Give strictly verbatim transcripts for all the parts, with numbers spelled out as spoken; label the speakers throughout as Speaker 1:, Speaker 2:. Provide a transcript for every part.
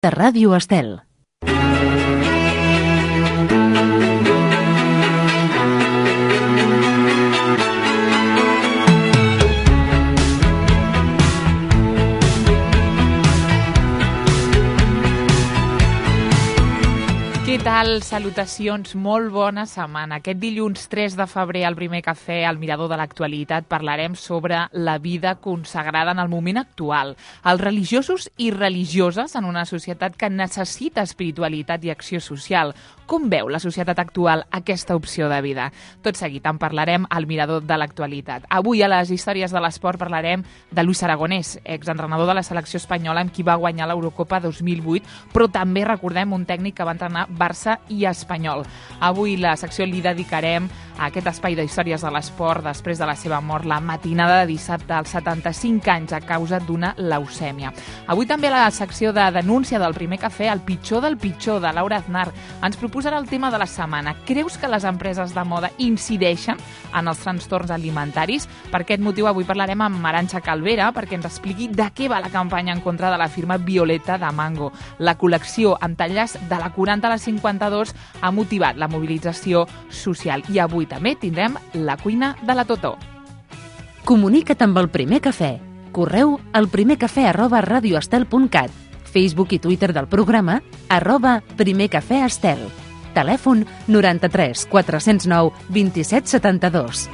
Speaker 1: de Ràdio Estel.
Speaker 2: Què tal? Salutacions, molt bona setmana. Aquest dilluns tres de febrer al Primer Cafè, al Mirador de l'Actualitat, parlarem sobre la vida consagrada en el moment actual. Els religiosos i religioses en una societat que necessita espiritualitat i acció social. Com veu la societat actual aquesta opció de vida? Tot seguit en parlarem al Mirador de l'Actualitat. Avui a les històries de l'esport parlarem de Luis Aragonés, exentrenador de la selecció espanyola amb qui va guanyar l'Eurocopa dos mil vuit, però també recordem un tècnic que va entrenar Barça i Espanyol. Avui la secció li dedicarem a aquest espai de històries de l'esport després de la seva mort la matinada de dissabte als setanta-cinc anys a causa d'una leucèmia. Avui també a la secció de denúncia del Primer Cafè, el pitjor del pitjor de Laura Aznar ens proposarà el tema de la setmana. Creus que les empreses de moda incideixen en els trastorns alimentaris? Per aquest motiu avui parlarem amb Arantxa Calvera perquè ens expliqui de què va la campanya en contra de la firma Violeta de Mango. La col·lecció amb talles de la quaranta a la cinquanta-dos ha motivat la mobilització social. I avui també tindrem la cuina de la Totó.
Speaker 1: Comunica't amb el Primer Cafè. Correu al primercafè arroba radioestel punt cat. Facebook i Twitter del programa arroba primercafèestel. Telèfon noranta-tres quatre-cents nou vint-i-set setanta-dos.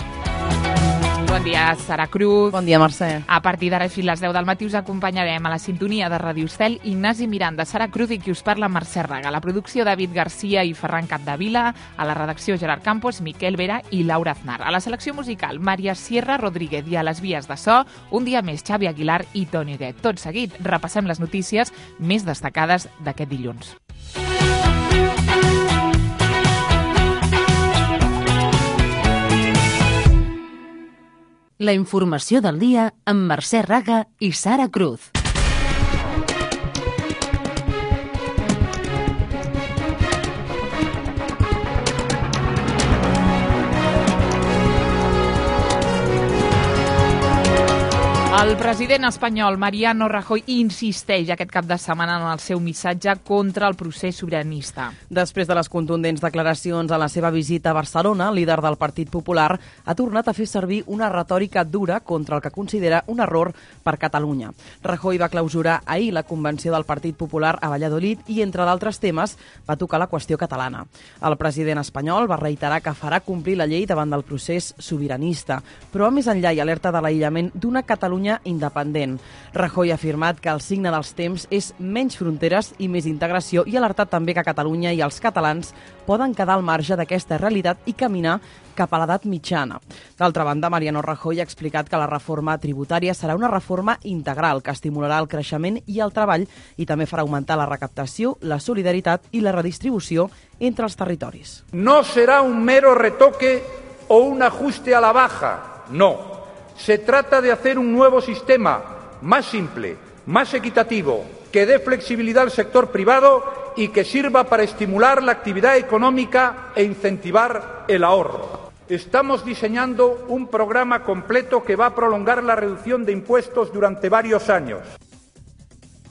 Speaker 2: Bon dia, Sara Cruz.
Speaker 3: Bon dia, Mercè.
Speaker 2: A partir d'ara, fins a les deu del matí, us acompanyarem a la sintonia de Ràdio Estel, Ignasi Miranda, Sara Cruz i qui us parla, Mercè Raga. La producció, David Garcia i Ferran Capdevila. A la redacció, Gerard Campos, Miquel Vera i Laura Aznar. A la selecció musical, Maria Sierra Rodríguez. I a les vies de so, un dia més, Xavi Aguilar i Toni Huguet. Tot seguit, repassem les notícies més destacades d'aquest dilluns.
Speaker 1: La informació del dia amb Mercè Raga i Sara Cruz.
Speaker 2: El president espanyol Mariano Rajoy insisteix aquest cap de setmana en el seu missatge contra el procés sobiranista.
Speaker 3: Després de les contundents declaracions a la seva visita a Barcelona, el líder del Partit Popular ha tornat a fer servir una retòrica dura contra el que considera un error per Catalunya. Rajoy va clausurar ahir la convenció del Partit Popular a Valladolid i, entre d'altres temes, va tocar la qüestió catalana. El president espanyol va reiterar que farà complir la llei davant del procés sobiranista, però va més enllà i alerta de l'aïllament d'una Catalunya independent. Rajoy ha afirmat que el signe dels temps és menys fronteres i més integració i ha alertat també que Catalunya i els catalans poden quedar al marge d'aquesta realitat i caminar cap a l'edat mitjana. D'altra banda, Mariano Rajoy ha explicat que la reforma tributària serà una reforma integral que estimularà el creixement i el treball i també farà augmentar la recaptació, la solidaritat i la redistribució entre els territoris.
Speaker 4: No será un mero retoque o un ajuste a la baja, no. Se trata de hacer un nuevo sistema más simple, más equitativo, que dé flexibilidad al sector privado y que sirva para estimular la actividad económica e incentivar el ahorro. Estamos diseñando un programa completo que va a prolongar la reducción de impuestos durante varios años.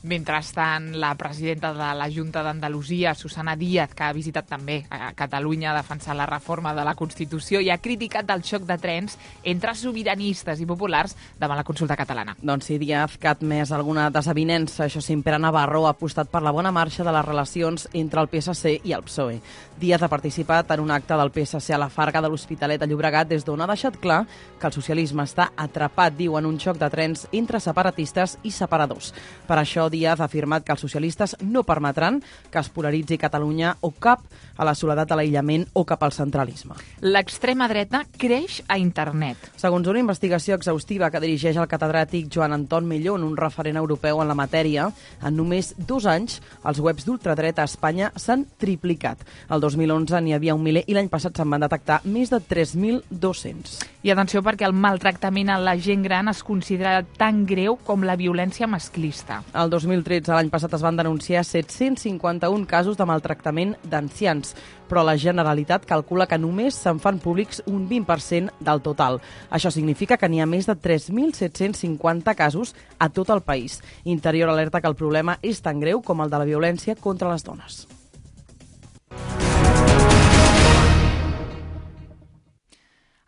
Speaker 2: Mentrestant, la presidenta de la Junta d'Andalusia, Susana Díaz, que ha visitat també a Catalunya a defensar la reforma de la Constitució i ha criticat el xoc de trens entre sobiranistes i populars davant la consulta catalana.
Speaker 3: Doncs sí, Díaz, que ha admès alguna desavinença. Això sí, Pere Navarro ha apostat per la bona marxa de les relacions entre el P S C i el P S O E. Díaz ha participat en un acte del P S C a la Farga de l'Hospitalet de Llobregat, des d'on ha deixat clar que el socialisme està atrapat, diu, en un xoc de trens entre separatistes i separadors. Per això, Díaz ha afirmat que els socialistes no permetran que es polaritzi Catalunya o cap a la soledat de l'aïllament o cap al centralisme.
Speaker 2: L'extrema dreta creix a internet.
Speaker 3: Segons una investigació exhaustiva que dirigeix el catedràtic Joan Anton Millón, un referent europeu en la matèria, en només dos anys els webs d'ultradreta a Espanya s'han triplicat. El dos mil onze n'hi havia un miler i l'any passat se'n van detectar més de tres mil dos-cents.
Speaker 2: I atenció, perquè el maltractament a la gent gran es considera tan greu com la violència masclista.
Speaker 3: El dos dos mil tretze, l'any passat, es van denunciar set-cents cinquanta-un casos de maltractament d'ancians, però la Generalitat calcula que només se'n fan públics un vint per cent del total. Això significa que n'hi ha més de tres mil set-cents cinquanta casos a tot el país. Interior alerta que el problema és tan greu com el de la violència contra les dones.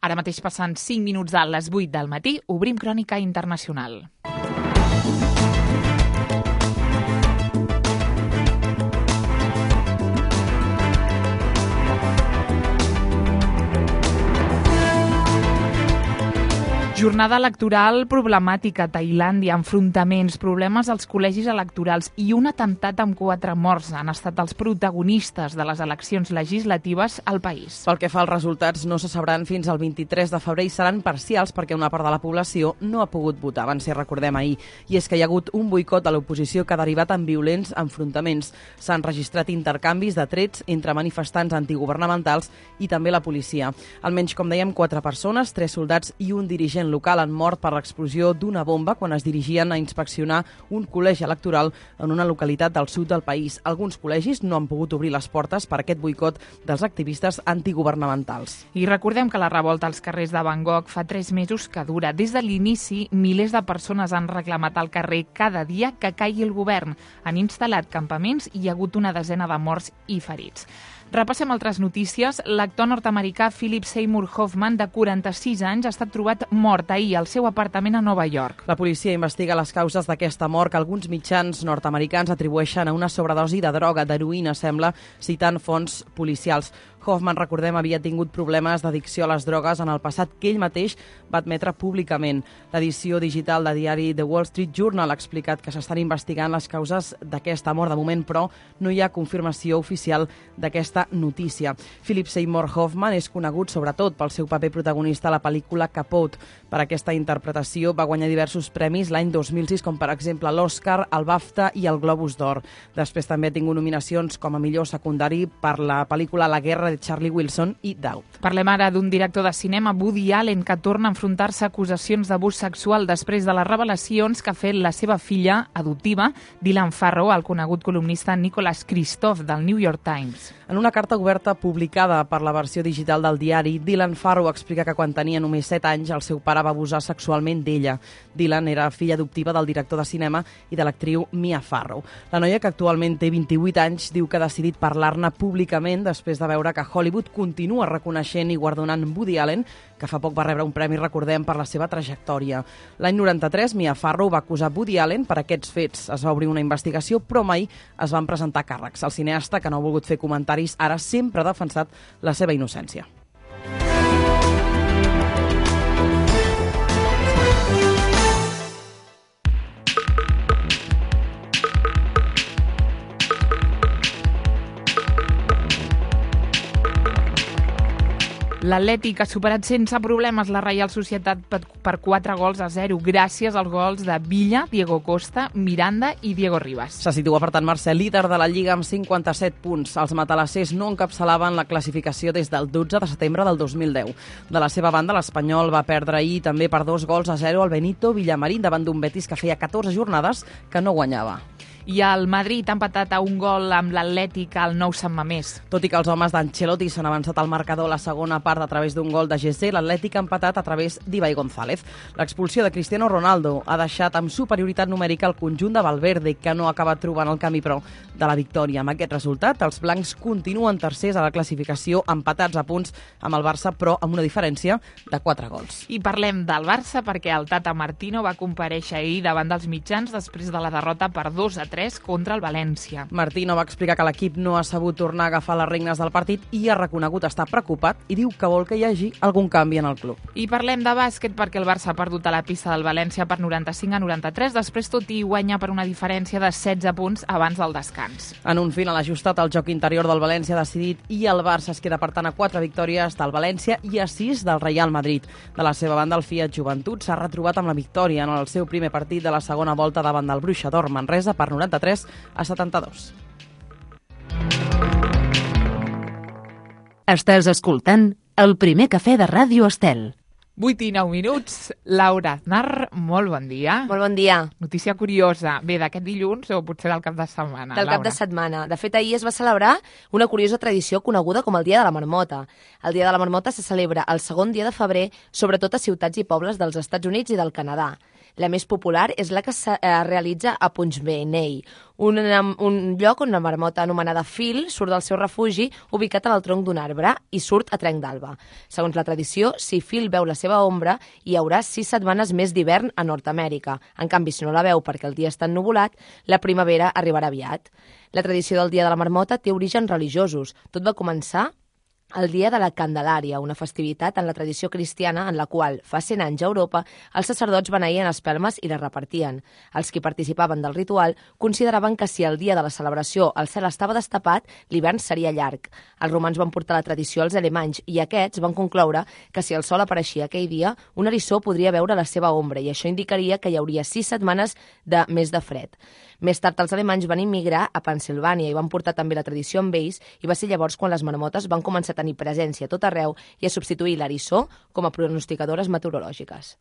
Speaker 2: Ara mateix passant cinc minuts a les vuit del matí, obrim Crònica Internacional. Jornada electoral problemàtica a Tailàndia, enfrontaments, problemes als col·legis electorals i un atemptat amb quatre morts han estat els protagonistes de les eleccions legislatives al país.
Speaker 3: Pel que fa als resultats, no se sabran fins al vint-i-tres de febrer i seran parcials perquè una part de la població no ha pogut votar, van ser, recordem, ahir. I és que hi ha hagut un boicot de l'oposició que ha derivat en violents enfrontaments. S'han registrat intercanvis de trets entre manifestants antiguvernamentals i també la policia. Almenys, com dèiem, quatre persones, tres soldats i un dirigent local han mort per l'explosió d'una bomba quan es dirigien a inspeccionar un col·legi electoral en una localitat del sud del país. Alguns col·legis no han pogut obrir les portes per aquest boicot dels activistes antiguvernamentals.
Speaker 2: I recordem que la revolta als carrers de Bangkok fa tres mesos que dura. Des de l'inici, milers de persones han reclamat al carrer cada dia que caigui el govern. Han instal·lat campaments i hi ha hagut una desena de morts i ferits. Repassem altres notícies. L'actor nord-americà Philip Seymour Hoffman, de quaranta-sis anys, ha estat trobat mort ahir al seu apartament a Nova York.
Speaker 3: La policia investiga les causes d'aquesta mort que alguns mitjans nord-americans atribueixen a una sobredosi de droga, d'heroïna, sembla, citant fonts policials. Hoffman, recordem, havia tingut problemes d'addicció a les drogues en el passat que ell mateix va admetre públicament. L'edició digital de diari The Wall Street Journal ha explicat que s'estan investigant les causes d'aquesta mort. De moment, però, no hi ha confirmació oficial d'aquesta notícia. Philip Seymour Hoffman és conegut sobretot pel seu paper protagonista a la pel·lícula Capote. Per aquesta interpretació va guanyar diversos premis l'any dos mil sis, com per exemple l'Oscar, el BAFTA i el Globus d'Or. Després també ha tingut nominacions com a millor secundari per la pel·lícula La guerra de Charlie Wilson i Doubt.
Speaker 2: Parlem ara d'un director de cinema, Woody Allen, que torna a enfrontar-se a acusacions d'abús sexual després de les revelacions que ha fet la seva filla adoptiva, Dylan Farrow, al conegut columnista Nicholas Kristof, del New York Times.
Speaker 3: En una carta oberta publicada per la versió digital del diari, Dylan Farrow explica que quan tenia només set anys el seu pare va abusar sexualment d'ella. Dylan era filla adoptiva del director de cinema i de l'actriu Mia Farrow. La noia, que actualment té vint-i-vuit anys, diu que ha decidit parlar-ne públicament després de veure que Hollywood continua reconeixent i guardonant Woody Allen, que fa poc va rebre un premi, recordem, per la seva trajectòria. L'any noranta-tres, Mia Farrow va acusar Woody Allen per aquests fets. Es va obrir una investigació, però mai es van presentar càrrecs. El cineasta, que no ha volgut fer comentaris, ara sempre ha defensat la seva innocència.
Speaker 2: L'Atlètic ha superat sense problemes la Reial Societat per quatre gols a zero, gràcies als gols de Villa, Diego Costa, Miranda i Diego Ribas.
Speaker 3: Se situa, per tant, Mercè, líder de la Lliga amb cinquanta-set punts. Els matalassers no encapçalaven la classificació des del dotze de setembre del dos mil deu. De la seva banda, l'Espanyol va perdre ahir també per dos gols a zero al Benito Villamarín davant d'un Betis que feia catorze jornades que no guanyava.
Speaker 2: I el Madrid ha empatat a un gol amb l'Atlètic al Nou Sant Mamés.
Speaker 3: Tot i que els homes d'Ancelotti s'han avançat al marcador a la segona part a través d'un gol de Gessé, l'Atlètic ha empatat a través d'Ibai González. L'expulsió de Cristiano Ronaldo ha deixat amb superioritat numèrica el conjunt de Valverde, que no ha acabat trobant el camí, però, de la victòria. Amb aquest resultat, els blancs continuen tercers a la classificació, empatats a punts amb el Barça, però amb una diferència de quatre gols.
Speaker 2: I parlem del Barça perquè el Tata Martino va comparèixer ahir davant dels mitjans després de la derrota per dos a tres contra el València.
Speaker 3: Martino va explicar que l'equip no ha sabut tornar a agafar les regnes del partit i ha reconegut estar preocupat i diu que vol que hi hagi algun canvi en el club.
Speaker 2: I parlem de bàsquet perquè el Barça ha perdut a la pista del València per noranta-cinc a noranta-tres, després tot i guanya per una diferència de setze punts abans del descans.
Speaker 3: En un final ajustat, el joc interior del València ha decidit i el Barça es queda per tant a quatre victòries del València i a sis del Real Madrid. De la seva banda, el Fiat Joventut s'ha retrobat amb la victòria en el seu primer partit de la segona volta davant del Bruixa d'Or Manresa per noranta-tres a setanta-dos.
Speaker 1: Estàs escoltant El Primer Cafè de Ràdio Estel.
Speaker 2: vuit i nou minuts. Laura Aznar, molt bon dia.
Speaker 5: Molt bon dia.
Speaker 2: Notícia curiosa. Bé, d'aquest dilluns o potser del cap de setmana,
Speaker 5: Del
Speaker 2: Laura?
Speaker 5: cap de setmana. De fet, ahir es va celebrar una curiosa tradició coneguda com el Dia de la Marmota. El Dia de la Marmota se celebra el segon dia de febrer, sobretot a ciutats i pobles dels Estats Units i del Canadà. La més popular és la que es realitza a Punxbenei, un, un lloc on la marmota anomenada Phil surt del seu refugi ubicat en el tronc d'un arbre i surt a trenc d'alba. Segons la tradició, si Phil veu la seva ombra, hi haurà sis setmanes més d'hivern a Nord-Amèrica. En canvi, si no la veu perquè el dia està ennuvolat, la primavera arribarà aviat. La tradició del Dia de la Marmota té orígens religiosos. Tot va començar el Dia de la Candelària, una festivitat en la tradició cristiana en la qual, fa cent anys a Europa, els sacerdots beneïen espelmes i les repartien. Els que participaven del ritual consideraven que si el dia de la celebració el cel estava destapat, l'hivern seria llarg. Els romans van portar la tradició als alemanys i aquests van concloure que si el sol apareixia aquell dia, un eriçó podria veure la seva ombra i això indicaria que hi hauria sis setmanes de més de fred. Més tard, els alemanys van immigrar a Pennsilvània i van portar també la tradició amb ells i va ser llavors quan les marmotes van començar a tenir presència a tot arreu i a substituir l'eriçó com a pronosticadores meteorològiques.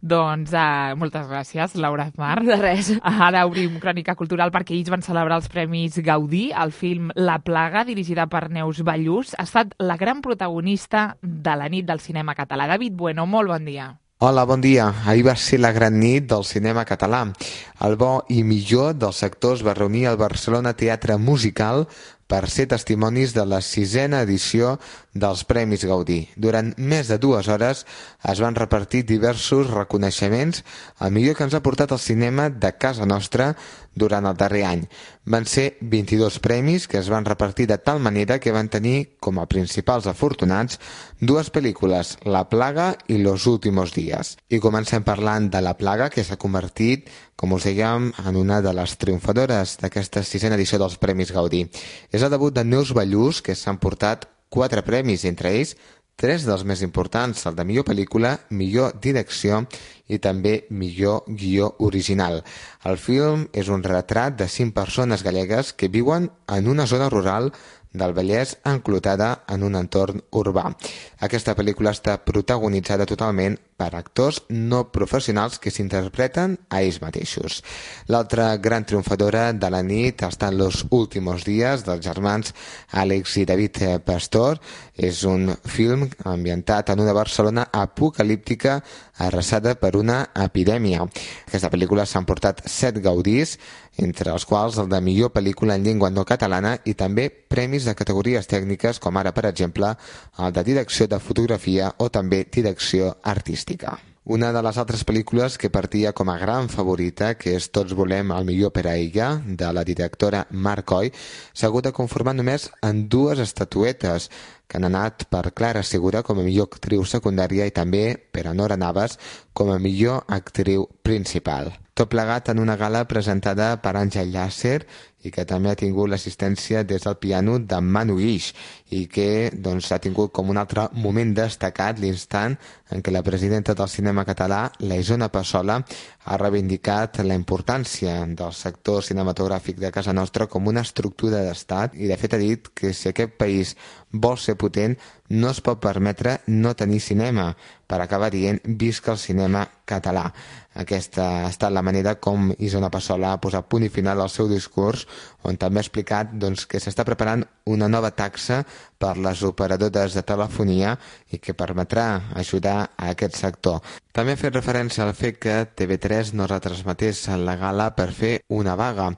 Speaker 2: Doncs uh, moltes gràcies, Laura Aznar.
Speaker 5: De res.
Speaker 2: Ara obrim Crònica Cultural perquè ells van celebrar els Premis Gaudí. El film La plaga, dirigida per Neus Ballús, ha estat la gran protagonista de la nit del cinema català. David Bueno, molt bon dia.
Speaker 6: Hola, bon dia. Ahir va ser la gran nit del cinema català. El bo i millor dels sectors va reunir el Barcelona Teatre Musical per ser testimonis de la sisena edició dels Premis Gaudí. Durant més de dues hores es van repartir diversos reconeixements al millor que ens ha portat el cinema de casa nostra durant el darrer any. Van ser vint-i-dos premis que es van repartir de tal manera que van tenir com a principals afortunats dues pel·lícules, La plaga i Los últimos días. I comencem parlant de La plaga, que s'ha convertit, com us dèiem, en una de les triomfadores d'aquesta sisena edició dels Premis Gaudí. És el debut de Neus Ballús, que s'han portat quatre premis, entre ells tres dels més importants, el de millor pel·lícula, millor direcció i també millor guió original. El film és un retrat de cinc persones gallegues que viuen en una zona rural del Vallès enclotada en un entorn urbà. Aquesta pel·lícula està protagonitzada totalment per actors no professionals que s'interpreten a ells mateixos. L'altra gran triomfadora de la nit està en Los últimos días, dels germans Àlex i David Pastor. És un film ambientat en una Barcelona apocalíptica arrasada per una epidèmia. Aquesta pel·lícula s'han portat set gaudís, entre els quals el de millor pel·lícula en llengua no catalana i també premis de categories tècniques com ara, per exemple, el de direcció de fotografia o també direcció artística. Una de les altres pel·lícules que partia com a gran favorita, que és Tots volem el millor per a ella, de la directora Mar Coy, s'ha hagut de conformar només en dues estatuetes, que han anat per Clara Segura com a millor actriu secundària i també per a Nora Navas com a millor actriu principal. Tot plegat en una gala presentada per Àngel Llàcer i que també ha tingut l'assistència des del piano de Manu Guix i que doncs, ha tingut com un altre moment destacat l'instant en què la presidenta del cinema català, la Isona Passola, ha reivindicat la importància del sector cinematogràfic de casa nostra com una estructura d'estat i de fet ha dit que si aquest país vol ser potent no es pot permetre no tenir cinema, per acabar dient visca el cinema català. Aquesta ha estat la manera com Isona Passola ha posat punt i final al seu discurs, on també ha explicat doncs, que s'està preparant una nova taxa per les operadores de telefonia i que permetrà ajudar a aquest sector. També ha fet referència al fet que T V tres no retransmetés la gala per fer una vaga.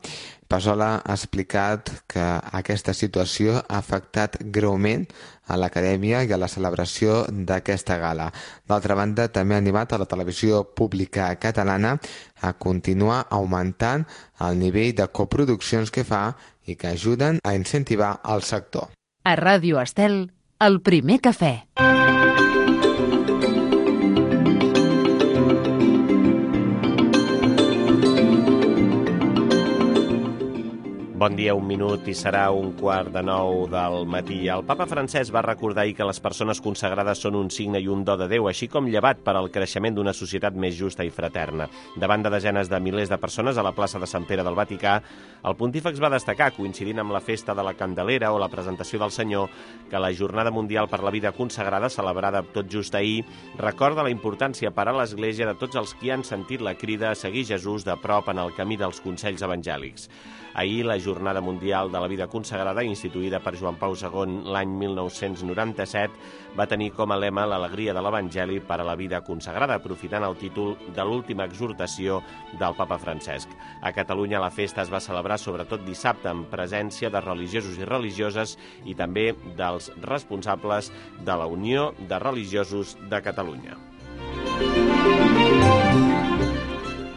Speaker 6: Passola ha explicat que aquesta situació ha afectat greument a l'acadèmia i a la celebració d'aquesta gala. D'altra banda, també ha animat a la televisió pública catalana a continuar augmentant el nivell de coproduccions que fa i que ajuden a incentivar el sector.
Speaker 1: A Ràdio Estel, el primer cafè.
Speaker 7: Bon dia, un minut i serà un quart de nou del matí. El papa Francesc va recordar ahir que les persones consagrades són un signe i un do de Déu, així com llevat per al creixement d'una societat més justa i fraterna. Davant de desenes de milers de persones a la plaça de Sant Pere del Vaticà, el pontífex va destacar, coincidint amb la festa de la Candelera o la presentació del Senyor, que la Jornada Mundial per la Vida Consagrada, celebrada tot just ahir, recorda la importància per a l'Església de tots els qui han sentit la crida a seguir Jesús de prop en el camí dels consells evangèlics. Ahir, la Jornada Mundial de la Vida Consagrada, instituïda per Joan Pau segon l'any mil nou-cents noranta-set, va tenir com a lema l'alegria de l'Evangeli per a la vida consagrada, aprofitant el títol de l'última exhortació del papa Francesc. A Catalunya la festa es va celebrar sobretot dissabte amb presència de religiosos i religioses i també dels responsables de la Unió de Religiosos de Catalunya.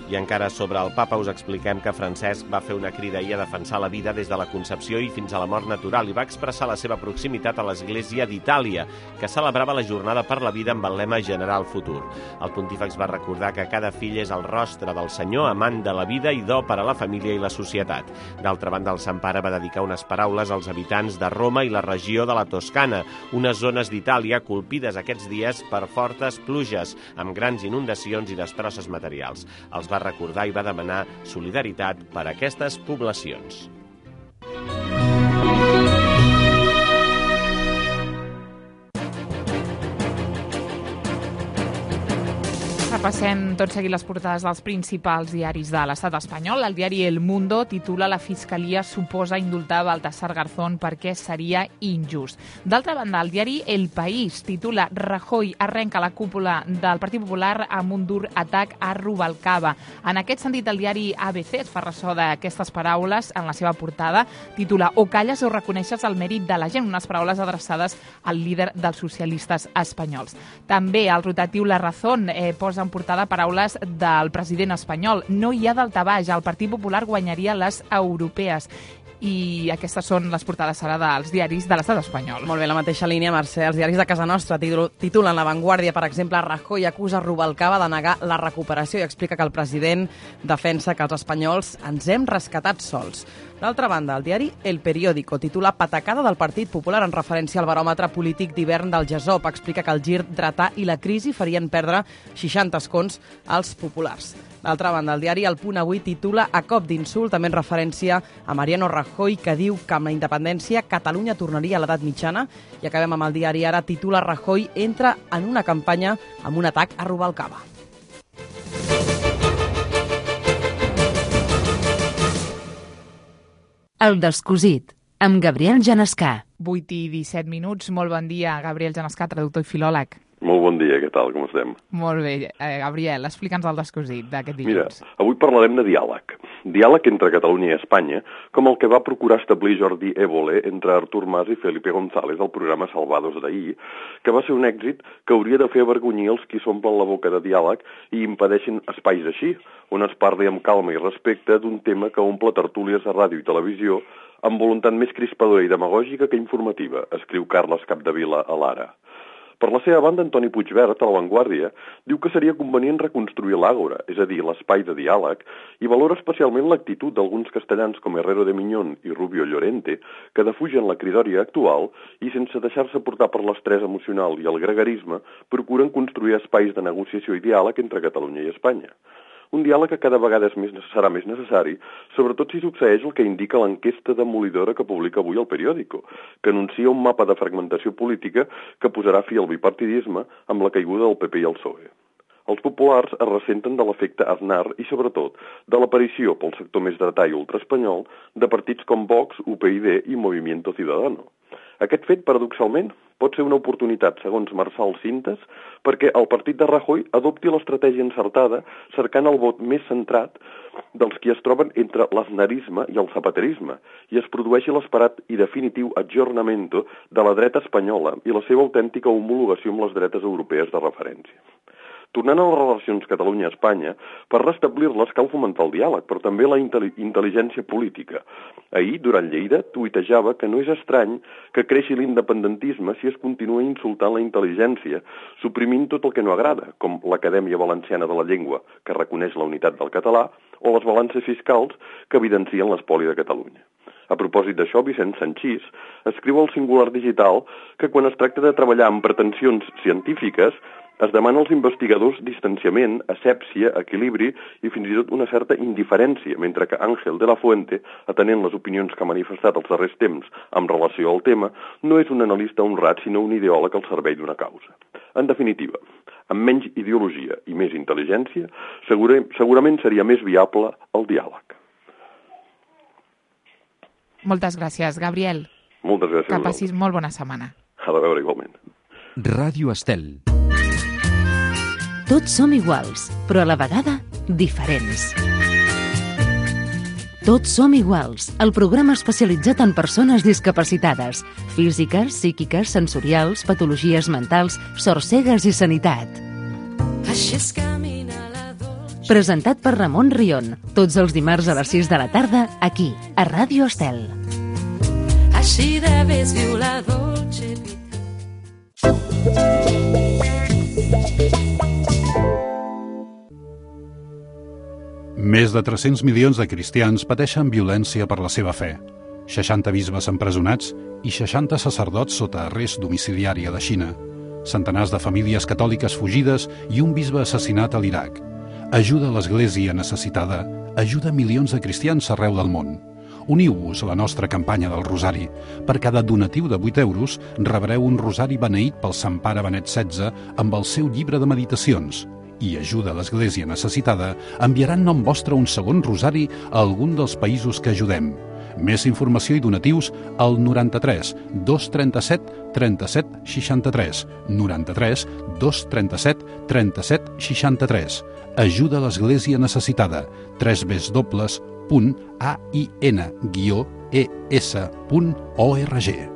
Speaker 7: I encara sobre el papa us expliquem que Francesc va fer una crida ahir a defensar la vida des de la concepció i fins a la mort natural i va expressar la seva proximitat a l'Església d'Itàlia, que celebrava la Jornada per la Vida amb el lema General Futur. El pontífex va recordar que cada fill és el rostre del Senyor, amant de la vida i do per a la família i la societat. D'altra banda, el Sant Pare va dedicar unes paraules als habitants de Roma i la regió de la Toscana, unes zones d'Itàlia colpides aquests dies per fortes pluges, amb grans inundacions i destrosses materials. Els va recordar i va demanar solidaritat per a aquestes poblacions.
Speaker 2: Repassem tot seguit les portades dels principals diaris de l'estat espanyol. El diari El Mundo titula «La Fiscalia suposa indultar Baltasar Garzón perquè seria injust». D'altra banda, el diari El País titula «Rajoy arrenca la cúpula del Partit Popular amb un dur atac a Rubalcaba». En aquest sentit, el diari A B C es fa ressò d'aquestes paraules en la seva portada. Titula «O calles o reconeixes el mèrit de la gent», unes paraules adreçades al líder dels socialistes espanyols. També el rotatiu La Razón eh, posa en portada paraules del president espanyol. No hi ha daltabaix, el Partit Popular guanyaria les europees. I aquestes són les portades ara dels diaris de l'estat espanyol.
Speaker 3: Molt bé, la mateixa línia, Mercè. Els diaris de casa nostra titulen La Vanguardia, per exemple, Rajoy acusa Rubalcaba de negar la recuperació i explica que el president defensa que els espanyols ens hem rescatat sols. D'altra banda, el diari El Periódico titula Patacada del Partit Popular en referència al baròmetre polític d'hivern del GESOP. Explica que el gir dretà i la crisi farien perdre seixanta escons als populars. D'altra banda, el diari El Punt Avui titula A cop d'insult, també en referència a Mariano Rajoy, que diu que amb la independència Catalunya tornaria a l'edat mitjana. I acabem amb el diari Ara, titula Rajoy entra en una campanya amb un atac a Rubalcaba.
Speaker 1: El Descosit, amb Gabriel Genescà.
Speaker 2: vuit i disset minuts. Molt bon dia, Gabriel Genescà, traductor i filòleg.
Speaker 8: Molt bon dia, què tal, com estem?
Speaker 2: Molt bé. Eh, Gabriel, explica'ns el Descosit d'aquest dilluns.
Speaker 8: Mira, avui parlarem de diàleg. Diàleg entre Catalunya i Espanya, com el que va procurar establir Jordi Évole entre Artur Mas i Felipe González al programa Salvados d'ahir, que va ser un èxit que hauria de fer avergonyir els qui s'omplen la boca de diàleg i impedeixen espais així, on es parli amb calma i respecte d'un tema que omple tertúlies a ràdio i televisió amb voluntat més crispadora i demagògica que informativa, escriu Carles Capdevila a l'Ara. Per la seva banda, Antoni Puigverd, a La Vanguardia, diu que seria convenient reconstruir l'Àgora, és a dir, l'espai de diàleg, i valora especialment l'actitud d'alguns castellans com Herrero de Miñón i Rubio Llorente, que defugen la cridòria actual i, sense deixar-se portar per l'estrès emocional i el gregarisme, procuren construir espais de negociació i diàleg entre Catalunya i Espanya. Un diàleg que cada vegada és més, serà més necessari, sobretot si succeeix el que indica l'enquesta demolidora que publica avui el Periódico, que anuncia un mapa de fragmentació política que posarà fi al bipartidisme amb la caiguda del P P i el P S O E. Els populars es ressenten de l'efecte Aznar i, sobretot, de l'aparició pel sector més dretà i ultraespanyol de partits com Vox, U P y D i Movimiento Ciudadano. Aquest fet, paradoxalment, pot ser una oportunitat, segons Marçal Cintes, perquè el partit de Rajoy adopti l'estratègia encertada cercant el vot més centrat dels qui es troben entre l'aznarisme i el zapaterisme i es produeixi l'esperat i definitiu aggiornamento de la dreta espanyola i la seva autèntica homologació amb les dretes europees de referència. Tornant a les relacions Catalunya-Espanya, per restablir-les cal fomentar el diàleg, però també la intel·ligència política. Ahir, durant Lleida, tuitejava que no és estrany que creixi l'independentisme si es continua insultant la intel·ligència, suprimint tot el que no agrada, com l'Acadèmia Valenciana de la Llengua, que reconeix la unitat del català, o les balances fiscals que evidencien l'espoli de Catalunya. A propòsit d'això, Vicent Sanchís escriu al Singular Digital que quan es tracta de treballar amb pretensions científiques es demana als investigadors distanciament, asèpsia, equilibri i fins i tot una certa indiferència, mentre que Àngel de la Fuente, atenent les opinions que ha manifestat els darrers temps amb relació al tema, no és un analista honrat, sinó un ideòleg al servei d'una causa. En definitiva, amb menys ideologia i més intel·ligència, segura, segurament seria més viable el diàleg.
Speaker 2: Moltes gràcies, Gabriel.
Speaker 8: Moltes gràcies.
Speaker 2: Que passis molt bona setmana.
Speaker 8: A la veure, igualment.
Speaker 9: Ràdio Estel.
Speaker 1: Tots som iguals, però a la vegada diferents. Tots som iguals, el programa especialitzat en persones discapacitades, físiques, psíquiques, sensorials, patologies mentals, sorcegues i sanitat. Presentat per Ramon Rion, tots els dimarts a les sis de la tarda, aquí, a Ràdio Estel.
Speaker 10: Així debes viu la dolce vita.
Speaker 11: Més de tres-cents milions de cristians pateixen violència per la seva fe. seixanta bisbes empresonats i seixanta sacerdots sota arrest domiciliari a la Xina. Centenars de famílies catòliques fugides i un bisbe assassinat a l'Iraq. Ajuda a l'Església necessitada, ajuda milions de cristians arreu del món. Uniu-vos a la nostra campanya del Rosari. Per cada donatiu de vuit euros rebreu un rosari beneït pel Sant Pare Benet setze amb el seu llibre de meditacions. I ajuda a l'Església necessitada enviarà en nom vostre un segon rosari a algun dels països que ajudem. Més informació i donatius al noranta-tres dos trenta-set trenta-set seixanta-tres, noranta-tres dos trenta-set trenta-set seixanta-tres. Ajuda a l'Església necessitada. tres w punt a i n guió e s punt org.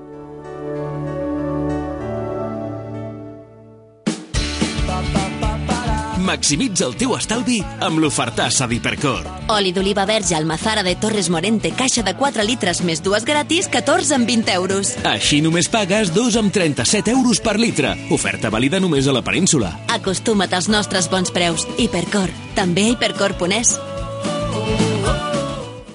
Speaker 12: Maximitza el teu estalvi amb l'ofertassa d'Hipercor.
Speaker 13: Oli d'oliva verge Almazara de Torres Morente, caixa de quatre litres més dues gratis, catorze amb vint euros.
Speaker 12: Així només pagues dos amb trenta-set euros per litre. Oferta vàlida només a la península.
Speaker 13: Acostuma't als nostres bons preus. Hipercor. També a hipercor punt es.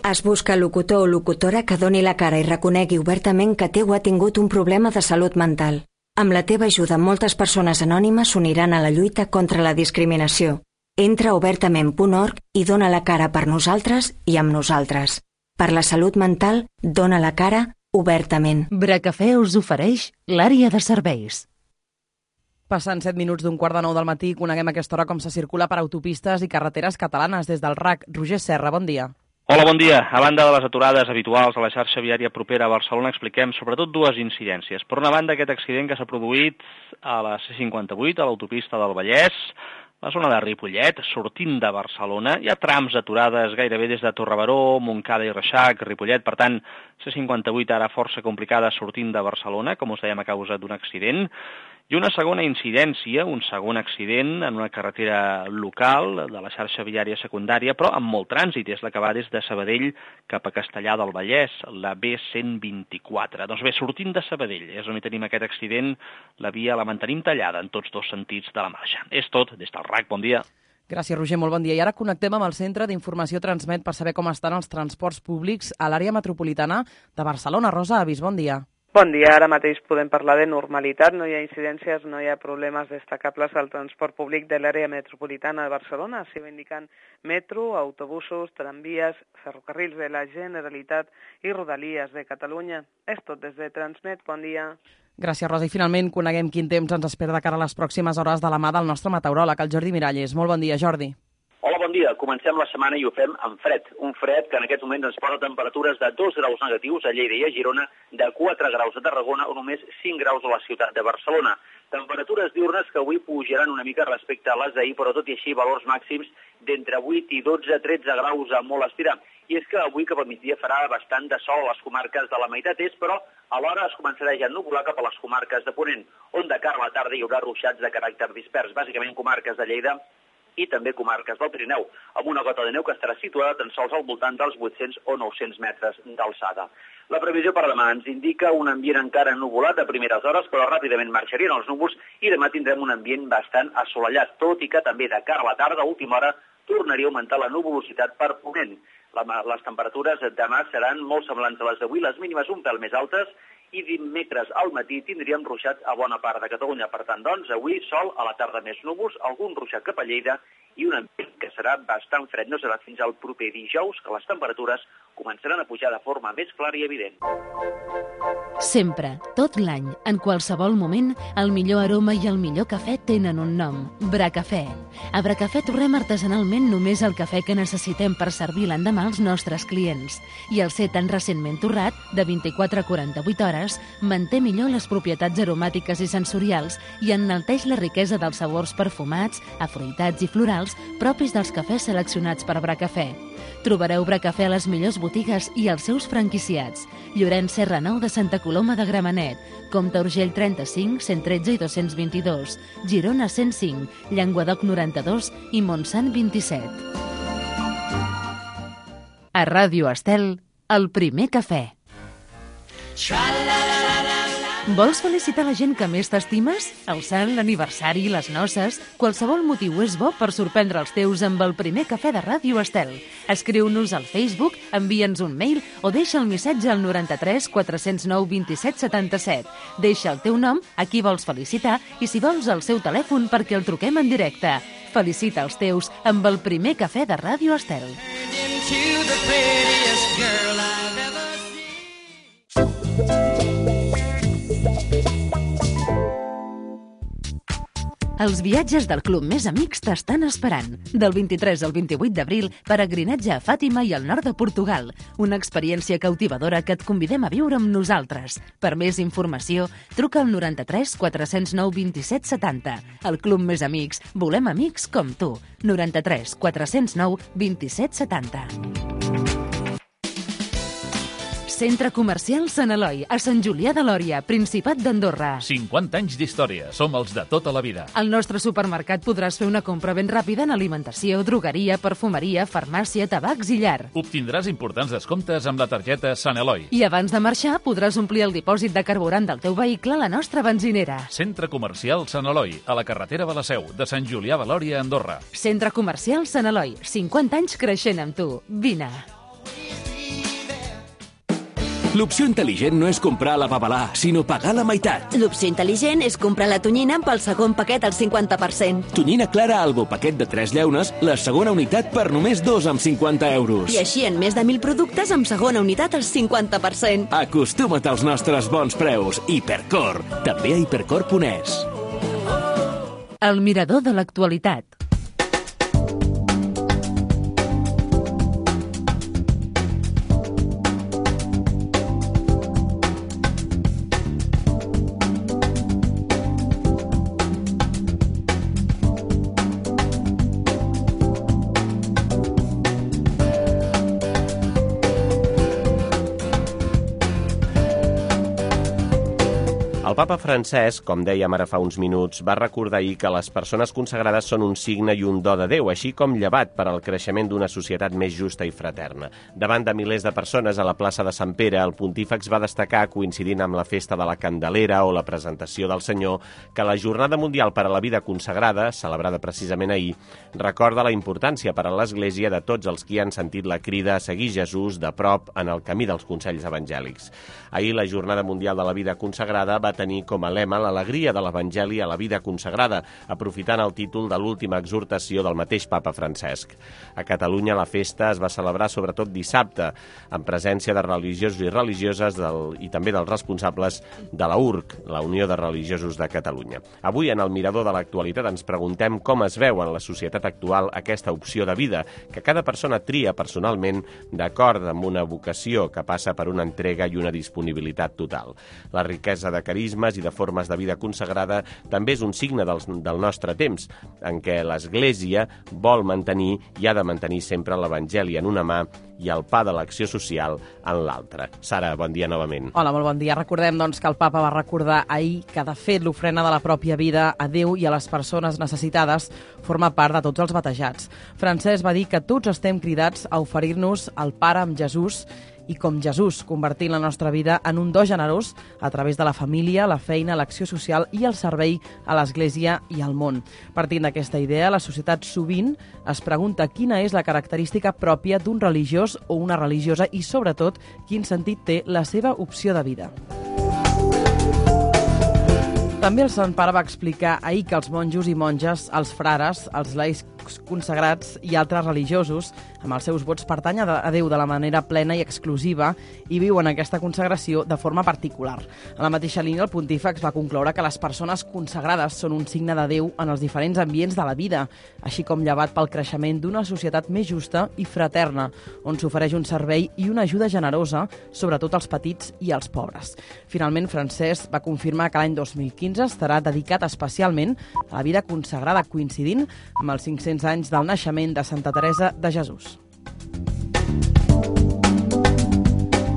Speaker 14: Es busca locutor o locutora que doni la cara i reconegui obertament que teu ha tingut un problema de salut mental. Amb la teva ajuda, moltes persones anònimes s'uniran a la lluita contra la discriminació. Entra a obertament punt org i dona la cara per nosaltres i amb nosaltres. Per la salut mental, dona la cara obertament.
Speaker 1: Bracafè us ofereix l'àrea de serveis.
Speaker 3: Passant set minuts d'un quart de nou del matí, coneguem a aquesta hora com se circula per autopistes i carreteres catalanes. Des del R A C, Roger Serra, bon dia.
Speaker 15: Hola, bon dia. A banda de les aturades habituals a la xarxa viària propera a Barcelona, expliquem sobretot dues incidències. Per una banda, aquest accident que s'ha produït a la C cinquanta-vuit, a l'autopista del Vallès, la zona de Ripollet, sortint de Barcelona. Hi ha trams aturades gairebé des de Torrebaró, Montcada i Reixac, Ripollet. Per tant, C cinquanta-vuit ara força complicada sortint de Barcelona, com us dèiem, a causa d'un accident. I una segona incidència, un segon accident en una carretera local de la xarxa viària secundària, però amb molt trànsit, és la que va des de Sabadell cap a Castellar del Vallès, la B cent vint-i-quatre. Doncs bé, sortint de Sabadell, és on hi tenim aquest accident, la via la mantenim tallada en tots dos sentits de la marxa. És tot, des del R A C, bon dia.
Speaker 3: Gràcies, Roger, molt bon dia. I ara connectem amb el Centre d'Informació Transmet per saber com estan els transports públics a l'àrea metropolitana de Barcelona. Rosa Avis, bon dia.
Speaker 16: Bon dia, ara mateix podem parlar de normalitat, no hi ha incidències, no hi ha problemes destacables al transport públic de l'àrea metropolitana de Barcelona, s'hi va indicant metro, autobusos, tramvies, ferrocarrils de la Generalitat i rodalies de Catalunya. És tot des de Transmet, bon dia.
Speaker 3: Gràcies, Rosa. I finalment coneguem quin temps ens espera de cara a les pròximes hores de la mà del nostre meteoròleg, el Jordi Miralles. Molt bon dia, Jordi.
Speaker 17: Hola, bon dia. Comencem la setmana i ho fem amb fred. Un fred que en aquests moments ens posa temperatures de dos graus negatius a Lleida i a Girona, de quatre graus a Tarragona o només cinc graus a la ciutat de Barcelona. Temperatures diurnes que avui pujaran una mica respecte a les d'ahir, però tot i així valors màxims d'entre vuit i dotze, tretze graus a molt estirar. i és que avui cap al migdia farà bastant de sol a les comarques de la meitat est, però alhora es començarà ja a ennuvolar cap a les comarques de Ponent, on de cara a la tarda hi haurà ruixats de caràcter dispers, bàsicament comarques de Lleida i també comarques del Pirineu, amb una gota de neu que estarà situada tan sols al voltant dels vuit-cents o nou-cents metres d'alçada. La previsió per demà ens indica un ambient encara ennuvolat a primeres hores, però ràpidament marxarien els núvols i demà tindrem un ambient bastant assolellat, tot i que també de cara a la tarda, a última hora, tornaria a augmentar la nuvolositat per Ponent. La, les temperatures demà seran molt semblants a les d'avui, les mínimes un pèl més altes, i dimecres al matí tindríem ruixats a bona part de Catalunya. Per tant, doncs, avui sol, a la tarda més núvols, algun ruixat cap a Lleida i un ambient que serà bastant fred. No serà fins al proper dijous que les temperatures començaran a pujar de forma més clara i evident.
Speaker 1: Sempre, tot l'any, en qualsevol moment, el millor aroma i el millor cafè tenen un nom, Bracafè. A Bracafè torrem artesanalment només el cafè que necessitem per servir l'endemà als nostres clients. I el ser tan recentment torrat, de vint-i-quatre a quaranta-vuit hores, manté millor les propietats aromàtiques i sensorials i enalteix la riquesa dels sabors perfumats, afruitats i florals propis dels cafès seleccionats per Bracafè. Trobareu Bracafè a les millors botigues i als seus franquiciats. Llorenç Serra nou de Santa Coloma de Gramenet, Comte Urgell trenta-cinc, cent tretze i dos-cents vint-i-dos, Girona cent cinc, Llenguadoc noranta-dos i Montsant vint-i-set. A Ràdio Estel, el primer cafè. Vols felicitar la gent que més t'estimes? El sant, l'aniversari, les noces... Qualsevol motiu és bo per sorprendre els teus amb el primer cafè de Ràdio Estel. Escriu-nos al Facebook, envia'ns un mail o deixa el missatge al noranta-tres quatre-cents nou vint-i-set setanta-set. Deixa el teu nom, a qui vols felicitar i si vols el seu telèfon perquè el truquem en directe. Felicita els teus amb el primer cafè de Ràdio Estel. Els viatges del Club Més Amics t'estan esperant. Del vint-i-tres al vint-i-vuit d'abril, peregrinatge a Fàtima i al nord de Portugal. Una experiència cautivadora que et convidem a viure amb nosaltres. Per més informació, truca al noranta-tres quatre-cents nou vint-i-set setanta. El Club Més Amics, volem amics com tu. noranta-tres quatre-cents nou vint-i-set setanta. Centre Comercial Sant Eloi, a Sant Julià de Lòria, Principat d'Andorra.
Speaker 18: cinquanta anys d'història, som els de tota la vida.
Speaker 1: Al nostre supermercat podràs fer una compra ben ràpida en alimentació, drogueria, perfumeria, farmàcia, tabacs i llar.
Speaker 18: Obtindràs importants descomptes amb la targeta Sant Eloi.
Speaker 1: I abans de marxar podràs omplir el dipòsit de carburant del teu vehicle a la nostra benzinera.
Speaker 18: Centre Comercial Sant Eloi, a la carretera de la Seu, de Sant Julià de Lòria, Andorra.
Speaker 1: Centre Comercial Sant Eloi, cinquanta anys creixent amb tu. Vine.
Speaker 12: L'opció intel·ligent no és comprar la babalà, sinó pagar la meitat.
Speaker 13: L'opció intel·ligent és comprar la tonyina amb el segon paquet al cinquanta per cent.
Speaker 12: Tonyina Clara Albo, paquet de tres llaunes, la segona unitat per només dos amb cinquanta euros.
Speaker 13: I així en més de mil productes amb segona unitat al cinquanta per cent.
Speaker 12: Acostuma't als nostres bons preus. Hipercor, també a hipercor punt es.
Speaker 1: El mirador de l'actualitat.
Speaker 7: El papa Francesc, com dèiem ara fa uns minuts, va recordar ahir que les persones consagrades són un signe i un do de Déu, així com llevat per al creixement d'una societat més justa i fraterna. Davant de milers de persones a la plaça de Sant Pere, el pontífex va destacar, coincidint amb la festa de la Candelera o la presentació del Senyor, que la Jornada Mundial per a la Vida Consagrada, celebrada precisament ahir, recorda la importància per a l'Església de tots els qui han sentit la crida a seguir Jesús de prop en el camí dels consells evangèlics. Ahir la Jornada Mundial de la Vida Consagrada va tenir com a lema l'alegria de l'Evangeli a la vida consagrada, aprofitant el títol de l'última exhortació del mateix papa Francesc. A Catalunya la festa es va celebrar sobretot dissabte, en presència de religiosos i religioses del, i també dels responsables de la U R C, la Unió de Religiosos de Catalunya. Avui, en el Mirador de l'Actualitat, ens preguntem com es veu en la societat actual aquesta opció de vida, que cada persona tria personalment d'acord amb una vocació que passa per una entrega i una disponibilitat total. La riquesa de carisma carismes i de formes de vida consagrada també és un signe del, del nostre temps, en què l'Església vol mantenir i ha de mantenir sempre l'Evangeli en una mà i el pa de l'acció social en l'altra. Sara, bon dia novament.
Speaker 3: Hola, molt bon dia. Recordem doncs, que el papa va recordar ahir que, de fet, l'ofrena de la pròpia vida a Déu i a les persones necessitades forma part de tots els batejats. Francesc va dir que tots estem cridats a oferir-nos al Pare amb Jesús i com Jesús, convertint la nostra vida en un do generós a través de la família, la feina, l'acció social i el servei a l'Església i al món. Partint d'aquesta idea, la societat sovint es pregunta quina és la característica pròpia d'un religiós o una religiosa i, sobretot, quin sentit té la seva opció de vida. També el Sant Pare va explicar ahir que els monjos i monges, els frares, els laics consagrats i altres religiosos, amb els seus vots pertanyen a Déu de la manera plena i exclusiva i viuen aquesta consagració de forma particular. A la mateixa línia, el pontífex va concloure que les persones consagrades són un signe de Déu en els diferents ambients de la vida, així com llevat pel creixement d'una societat més justa i fraterna, on s'ofereix un servei i una ajuda generosa, sobretot als petits i als pobres. Finalment, Francesc va confirmar que l'any dos mil quinze estarà dedicat especialment a la vida consagrada, coincidint amb els cinc-cents anys del naixement de Santa Teresa de Jesús.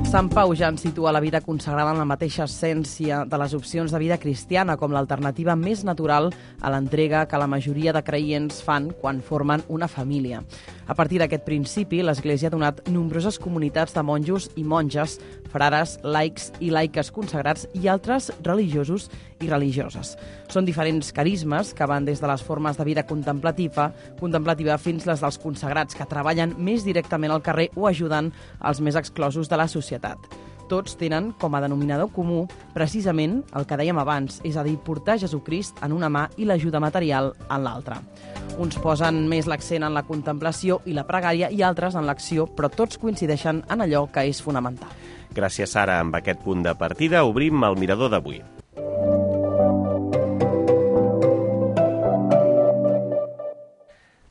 Speaker 3: Sant Pau ja ens situa la vida consagrada en la mateixa essència de les opcions de vida cristiana, com l'alternativa més natural a l'entrega que la majoria de creients fan quan formen una família. A partir d'aquest principi, l'Església ha donat nombroses comunitats de monjos i monges, frares, laics i laiques consagrats i altres religiosos i religioses. Són diferents carismes que van des de les formes de vida contemplativa, contemplativa fins les dels consagrats, que treballen més directament al carrer o ajuden als més exclosos de la societat. Tots tenen com a denominador comú precisament el que dèiem abans, és a dir, portar Jesucrist en una mà i l'ajuda material en l'altra. Uns posen més l'accent en la contemplació i la pregària i altres en l'acció, però tots coincideixen en allò que és fonamental.
Speaker 7: Gràcies, Sara. Amb aquest punt de partida obrim el mirador d'avui.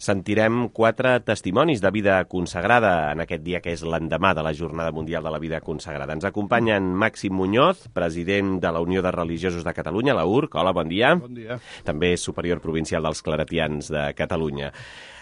Speaker 7: Sentirem quatre testimonis de vida consagrada en aquest dia que és l'endemà de la Jornada Mundial de la Vida Consagrada. Ens acompanyen Màxim Muñoz, president de la Unió de Religiosos de Catalunya, la U R C. Hola, bon dia.
Speaker 19: Bon dia.
Speaker 7: També és superior provincial dels Claretians de Catalunya.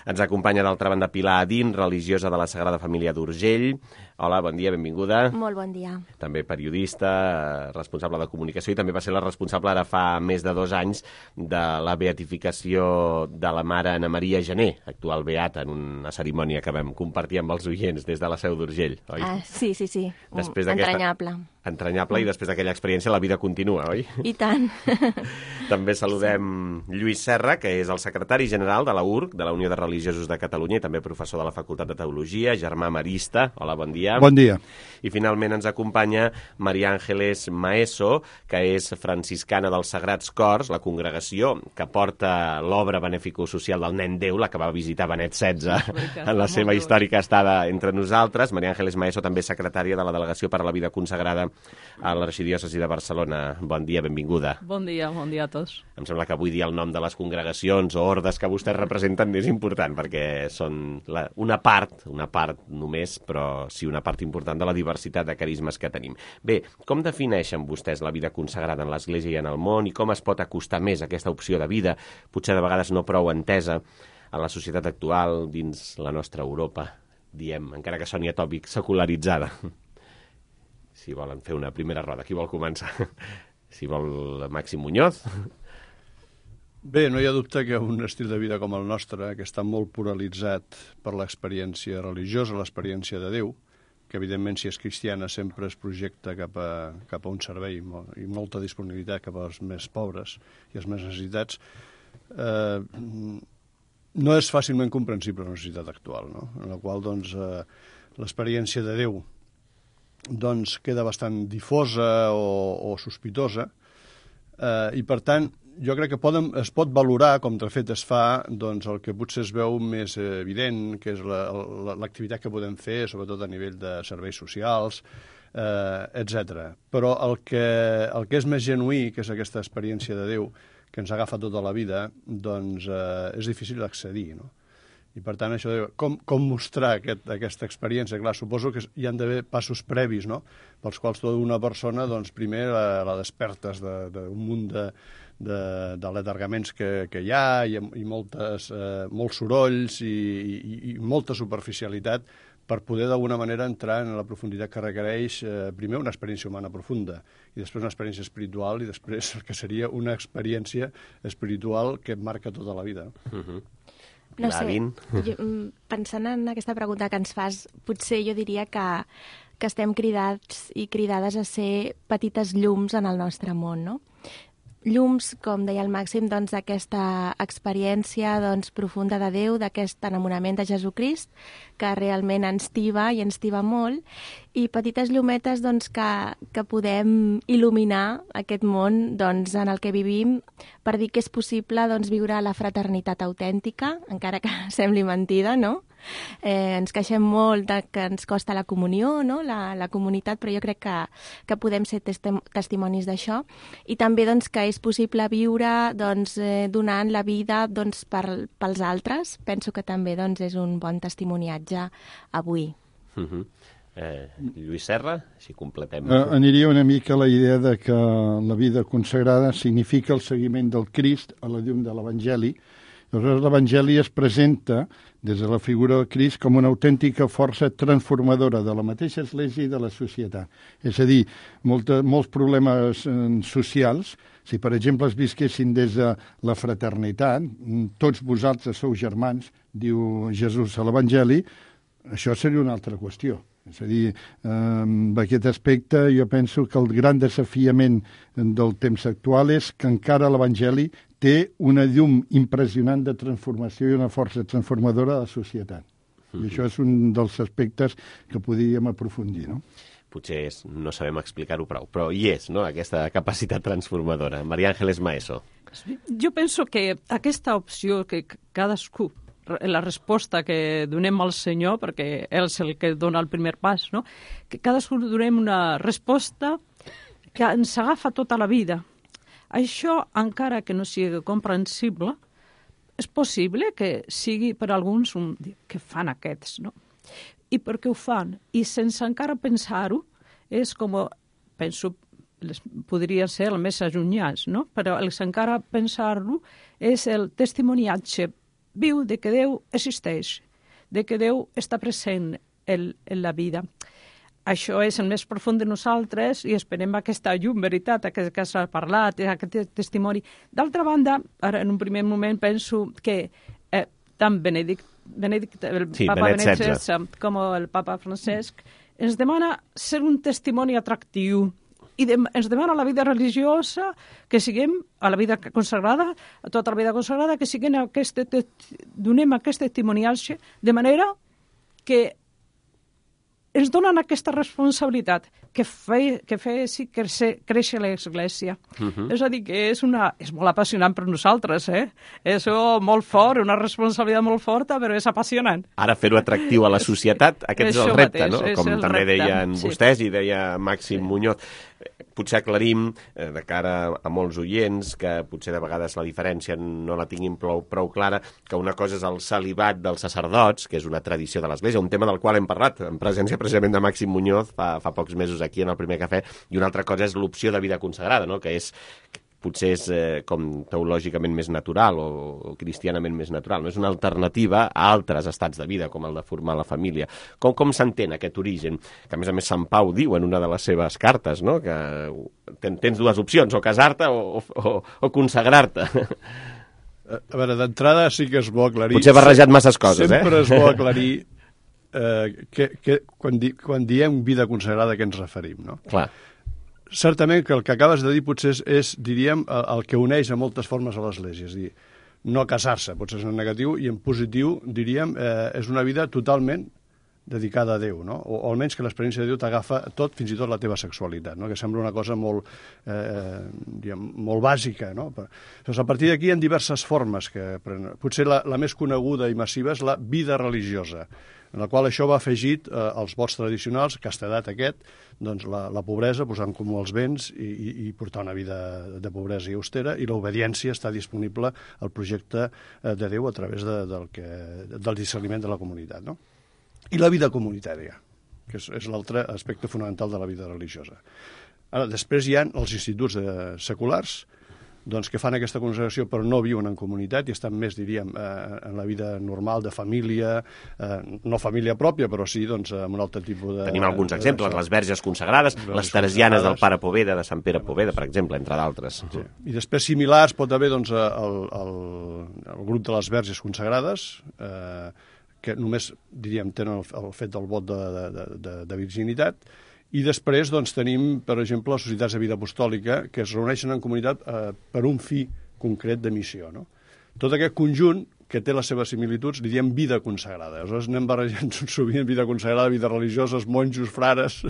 Speaker 7: Ens acompanya, d'altra banda, Pilar Adín, religiosa de la Sagrada Família d'Urgell. Hola, bon dia, benvinguda.
Speaker 20: Molt bon dia.
Speaker 7: També periodista, responsable de comunicació i també va ser la responsable ara fa més de dos anys de la beatificació de la mare Ana Maria Gené, actual beata, en una cerimònia que vam compartir amb els oients des de la Seu d'Urgell, oi?
Speaker 20: Ah, sí, sí, sí.
Speaker 7: Després
Speaker 20: Entranyable.
Speaker 7: Entranyable, i després d'aquella experiència la vida continua, oi?
Speaker 20: I tant.
Speaker 7: També saludem Lluís Serra, que és el secretari general de la U R C, de la Unió de Religiosos de Catalunya, i també professor de la Facultat de Teologia, germà marista. Hola, bon dia.
Speaker 19: Bon dia.
Speaker 7: I finalment ens acompanya Maria Ángeles Maeso, que és franciscana dels Sagrats Cors, la congregació que porta l'obra benefico-social del Nen Déu, la que va visitar Benet setze en la seva històrica estada entre nosaltres. Maria Ángeles Maeso també és secretària de la Delegació per a la Vida Consagrada a l'Arxidiòcesi de Barcelona. Bon dia, benvinguda.
Speaker 21: Bon dia, bon dia a tots.
Speaker 7: Em sembla que avui dir el nom de les congregacions o ordes que vostès representen és important, perquè són la, una part, una part només, però sí una part important de la diversitat de carismes que tenim. Bé, com defineixen vostès la vida consagrada en l'Església i en el món, i com es pot acostar més a aquesta opció de vida, potser de vegades no prou entesa, en la societat actual, dins la nostra Europa, diem, encara que soni atòpic, secularitzada? Si volen fer una primera roda, qui vol començar? Si vol Màxim Muñoz.
Speaker 19: Bé, no hi ha dubte que un estil de vida com el nostre, que està molt pluralitzat per l'experiència religiosa, l'experiència de Déu, que evidentment si és cristiana sempre es projecta cap a, cap a un servei i molta disponibilitat cap als més pobres i els més necessitats, eh, no és fàcilment comprensible la societat actual, no? En la qual doncs, eh, l'experiència de Déu doncs queda bastant difosa o, o sospitosa, eh, i per tant jo crec que poden, es pot valorar, com de fet es fa, doncs el que potser es veu més evident, que és l'activitat la, que podem fer, sobretot a nivell de serveis socials, eh, etcètera. Però el que, el que és més genuí, que és aquesta experiència de Déu, que ens agafa tota la vida, doncs eh, és difícil d'accedir, no? I, per tant, això de com, com mostrar aquest, aquesta experiència. Clar, suposo que hi han d'haver passos previs, no?, pels quals tota una persona, doncs, primer la, la despertes d'un de, de munt de, de, de letargaments que, que hi ha i, i moltes, eh, molts sorolls i, i, i molta superficialitat per poder d'alguna manera entrar en la profunditat que requereix, eh, primer una experiència humana profunda i després una experiència espiritual i després el que seria una experiència espiritual que et marca tota la vida.
Speaker 7: Uh-huh.
Speaker 20: No sé, jo, pensant en aquesta pregunta que ens fas, potser jo diria que, que estem cridats i cridades a ser petites llums en el nostre món, no? Llums, com deia el Màxim, doncs, d'aquesta experiència doncs, profunda de Déu, d'aquest enamorament de Jesucrist, que realment ens tiba i ens tiba molt, i petites llumetes doncs, que, que podem il·luminar aquest món doncs, en el que vivim per dir que és possible doncs, viure la fraternitat autèntica, encara que sembli mentida, no? Eh, ens queixem molt de que ens costa la comunió, no? la, la comunitat, però jo crec que, que podem ser testim testimonis d'això. I també doncs, que és possible viure doncs, eh, donant la vida doncs, per, pels altres. Penso que també doncs, és un bon testimoniatge avui.
Speaker 7: Uh-huh. eh, Lluís Serra, si completem.
Speaker 21: Eh, aniria una mica a la idea de que la vida consagrada significa el seguiment del Crist a la llum de l'Evangeli. Aleshores, l'Evangeli es presenta des de la figura del Crist com una autèntica força transformadora de la mateixa Església i de la societat. És a dir, molta, molts problemes eh, socials, si per exemple es visquessin des de la fraternitat, tots vosaltres sou germans, diu Jesús a l'Evangeli, això seria una altra qüestió. És a dir, eh, en aquest aspecte jo penso que el gran desafiament del temps actual és que encara l'Evangeli té una llum impressionant de transformació i una força transformadora de la societat. Mm-hmm. I això és un dels aspectes que podríem aprofundir, no?
Speaker 7: Potser és, no sabem explicar-ho prou, però hi és, no?, aquesta capacitat transformadora. Maria Ángeles Maeso.
Speaker 22: Jo penso que aquesta opció que cadascú, la resposta que donem al Senyor, perquè ell és el que dona el primer pas, no?, que cadascú donem una resposta que ens agafa tota la vida. Això, encara que no sigui comprensible, és possible que sigui per alguns un, que fan aquests, no? I per què ho fan? I sense encara pensar-ho, és com, penso, podria ser el més allunyats, no? Però el encara pensar-ho és el testimoniatge viu de que Déu existeix, de que Déu està present en, en la vida. Això és el més profund de nosaltres i esperem aquesta llum, veritat, aquest que s'ha parlat, aquest testimoni. D'altra banda, ara en un primer moment penso que eh, tant Benedict, Benedict, el
Speaker 7: sí,
Speaker 22: papa
Speaker 7: Benet
Speaker 22: setze com el papa Francesc ens demana ser un testimoni atractiu i de, ens demana a la vida religiosa que siguem, a la vida consagrada, a tota la vida consagrada, que siguem aquest, donem aquest testimoniatge de manera que ens donen aquesta responsabilitat que fe, que fessi créixer, créixer l'Església. Uh-huh. És a dir, que és, una, és molt apassionant per nosaltres, eh? És molt fort, una responsabilitat molt forta, però és apassionant.
Speaker 7: Ara fer-ho atractiu a la societat, aquest és el repte,
Speaker 22: mateix,
Speaker 7: no? Com també repte, deien sí. vostès i deia Màxim sí. Muñoz. Potser aclarim, eh, de cara a molts oients, que potser de vegades la diferència no la tinguin prou, prou clara, que una cosa és el celibat dels sacerdots, que és una tradició de l'Església, un tema del qual hem parlat en presència precisament de Màxim Muñoz fa, fa pocs mesos aquí en el Primer Cafè, i una altra cosa és l'opció de vida consagrada, no? Que és potser és eh, com teològicament més natural o, o cristianament més natural. No? És una alternativa a altres estats de vida, com el de formar la família. Com, com s'entén aquest origen? Que a més a més Sant Pau diu en una de les seves cartes, no? Que ten, tens dues opcions, o casar-te o, o, o consagrar-te.
Speaker 19: A veure, d'entrada sí que és bo aclarir...
Speaker 7: Potser he barrejat masses coses,
Speaker 19: sempre
Speaker 7: eh?
Speaker 19: Sempre és bo aclarir eh, que, que quan, di, quan diem vida consagrada a què ens referim, no?
Speaker 7: Clar.
Speaker 19: Certament que el que acabes de dir potser és, és diríem, el, el que uneix a moltes formes a l'Església. És a dir, no casar-se, potser és en negatiu, i en positiu, diríem, eh, és una vida totalment dedicada a Déu, no? O, o almenys que l'experiència de Déu t'agafa tot, fins i tot la teva sexualitat, no? Que sembla una cosa molt, eh, diguem, molt bàsica, no? Però, doncs a partir d'aquí hi ha diverses formes que... Potser la, la més coneguda i massiva és la vida religiosa. en la qual això va afegit eh, als vots tradicionals, castedat aquest, doncs la, la pobresa, posar en comú els béns i, i, i portar una vida de pobresa i austera, i l'obediència està disponible al projecte eh, de Déu a través de, del, que, del discerniment de la comunitat, no? I la vida comunitària, que és, és l'altre aspecte fonamental de la vida religiosa. Ara, després hi ha els instituts de, seculars, doncs, que fan aquesta consagració però no viuen en comunitat i estan més, diríem, eh, en la vida normal de família, eh, no família pròpia, però sí doncs, amb un altre tipus de...
Speaker 7: Tenim alguns exemples, les verges consagrades, les teresianes del pare Poveda, de Sant Pere Poveda, per exemple, entre d'altres.
Speaker 19: Sí. I després, similars, pot haver doncs, el, el, el grup de les verges consagrades, eh, que només, diríem, tenen el, el fet del vot de, de, de, de virginitat. I després doncs, tenim, per exemple, les societats de vida apostòlica que es reuneixen en comunitat eh, per un fi concret de missió, no? Tot aquest conjunt que té les seves similituds, li diem vida consagrada. Aleshores anem barrejant sovint vida consagrada, vida religioses, monjos, frares...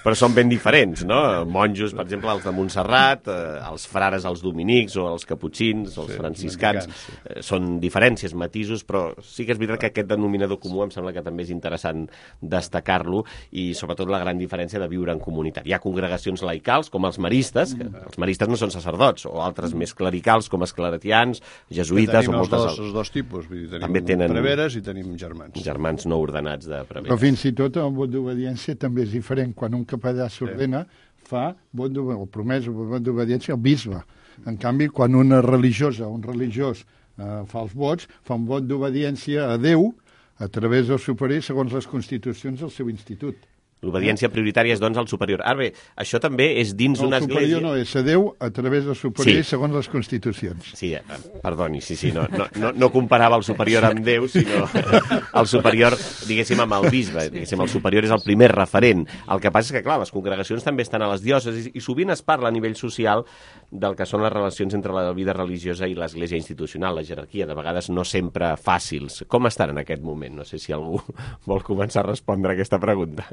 Speaker 7: Però són ben diferents, no? Monjos, per exemple, els de Montserrat, eh, els frares, els dominics, o els caputxins, o els sí, franciscans. Sí. Eh, són diferències, matisos, però sí que és veritat que aquest denominador comú em sembla que també és interessant destacar-lo, i sobretot la gran diferència de viure en comunitat. Hi ha congregacions laicals, com els maristes, que els maristes no són sacerdots, o altres més clericals, com els claretians, jesuïtes, o moltes altres.
Speaker 19: Els dos tipus. Vull dir, tenim
Speaker 7: també tenen
Speaker 19: preveres i tenim germans.
Speaker 7: Germans no ordenats de preveres.
Speaker 21: Però fins i tot el vot d'obediència també és diferent. Quan un capellà s'ordena, sí. fa vot o promès o vot d'obediència al bisbe. En canvi, quan una religiosa o un religiós eh, fa els vots, fa un vot d'obediència a Déu a través del superior segons les constitucions del seu institut.
Speaker 7: L'obediència prioritària és, doncs, al superior. Ara bé, això també és dins
Speaker 21: no,
Speaker 7: una església...
Speaker 21: El superior no, és a Déu a través del superior sí. segons les constitucions.
Speaker 7: Sí, eh, perdoni, sí, sí, no, no, no, no comparava el superior amb Déu, sinó el superior, diguéssim, amb el bisbe. Diguéssim, el superior és el primer referent. El que passa és que, clar, les congregacions també estan a les diòcesis i sovint es parla a nivell social del que són les relacions entre la vida religiosa i l'església institucional, la jerarquia, de vegades no sempre fàcils. Com estan en aquest moment? No sé si algú vol començar a respondre a aquesta pregunta.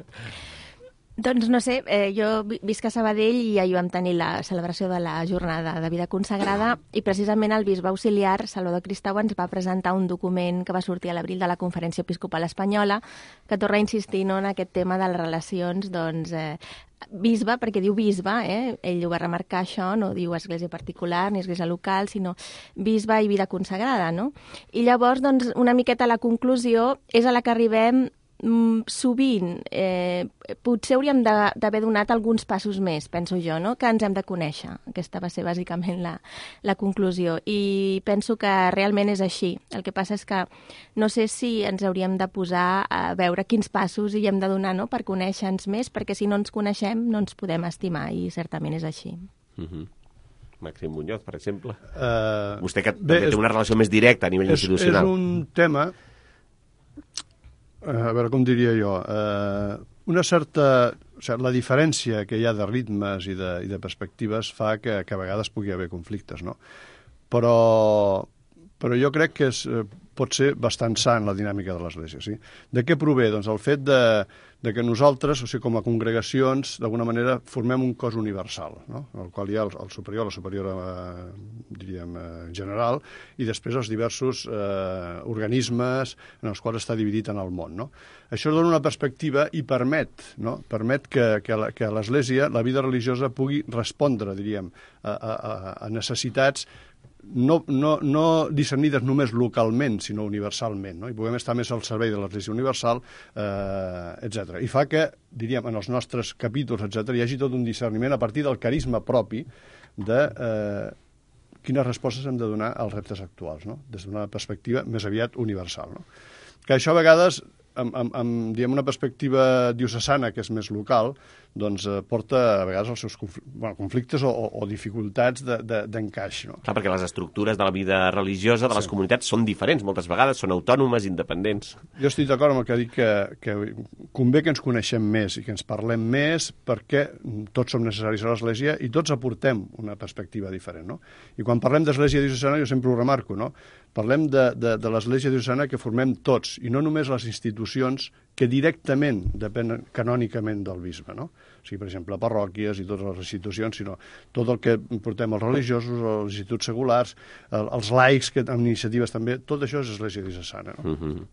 Speaker 20: Doncs no sé, eh, jo visc a Sabadell i ahir vam tenir la celebració de la jornada de vida consagrada i precisament el bisbe auxiliar, Salvador Cristau, ens va presentar un document que va sortir a l'abril de la Conferència Episcopal Espanyola que torna a insistir no, en aquest tema de les relacions doncs, eh, bisbe, perquè diu bisbe, eh? Ell ho va remarcar això, no diu església particular ni església local, sinó bisbe i vida consagrada, no? I llavors, doncs, una miqueta la conclusió és a la que arribem Mm, sovint, eh, potser hauríem d'haver donat alguns passos més, penso jo, no? Que ens hem de conèixer. Aquesta va ser bàsicament la, la conclusió. I penso que realment és així. El que passa és que no sé si ens hauríem de posar a veure quins passos hi hem de donar, no? Per conèixer-nos més, perquè si no ens coneixem no ens podem estimar, i certament és així.
Speaker 7: Mm-hmm. Màxim Muñoz, per exemple.
Speaker 19: Uh,
Speaker 7: Vostè que
Speaker 19: bé,
Speaker 7: també té una relació més directa a nivell
Speaker 19: és,
Speaker 7: institucional.
Speaker 19: És un tema... a veure, com diria jo, eh, una certa... O sigui, la diferència que hi ha de ritmes i de, i de perspectives fa que, que a vegades pugui haver conflictes, no? Però, però jo crec que és, pot ser bastant sa en la dinàmica de l'Església, sí? De què prové? Doncs el fet de, de que nosaltres, o sigui, com a congregacions, d'alguna manera formem un cos universal, no? En el qual hi ha el, el superior, la superiora, eh, diríem, eh, general, i després els diversos eh, organismes en els quals està dividit en el món, no? Això dona una perspectiva i permet, no? Permet que, que, la, que l'Església, la vida religiosa, pugui respondre, diríem, a, a, a necessitats no, no, no discernides només localment, sinó universalment, no? I puguem estar més al servei de l'Església universal, eh, etcètera. I fa que, diríem, en els nostres capítols, etcètera, hi hagi tot un discerniment a partir del carisma propi de eh, quines respostes hem de donar als reptes actuals, no? Des d'una perspectiva més aviat universal, no? Que això a vegades, amb, amb, amb diguem, una perspectiva diocesana, que és més local, doncs eh, porta a vegades els seus conflictes, bueno, conflictes o, o, o dificultats d'encaix. De, no?
Speaker 7: Clar, perquè les estructures de la vida religiosa de les sí. comunitats són diferents, moltes vegades són autònomes, independents.
Speaker 19: Jo estic d'acord amb el que ha dit, que, que convé que ens coneixem més i que ens parlem més, perquè tots som necessaris a l'Església i tots aportem una perspectiva diferent, no? I quan parlem d'Església diocesana, jo sempre ho remarco, no? Parlem de, de, de l'Església diocesana que formem tots, i no només les institucions que directament depenen canònicament del bisbe, no? O sigui, per exemple, parròquies i totes les institucions, sinó tot el que portem els religiosos, els instituts seculars, els laics, que amb iniciatives també, tot això és Església diocesana, no?
Speaker 7: Mm-hmm.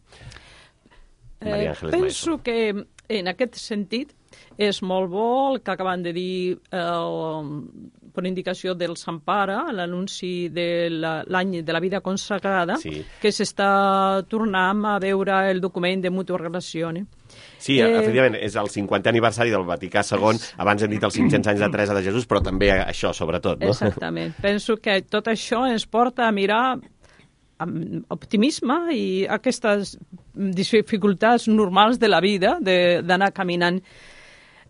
Speaker 2: Eh,
Speaker 22: penso que en aquest sentit és molt bo el que acaben de dir eh, per indicació del Sant Pare, l'anunci de l'any de la vida consagrada, sí. que s'està tornant a veure el document de Mutua Relazione.
Speaker 7: Sí, eh, efectivament, és el cinquantè aniversari del Vaticà segon, abans hem dit els cinc-cents anys de Teresa de Jesús, però també això, sobretot, no?
Speaker 22: Exactament. Penso que tot això ens porta a mirar amb optimisme i aquestes dificultats normals de la vida, d'anar caminant.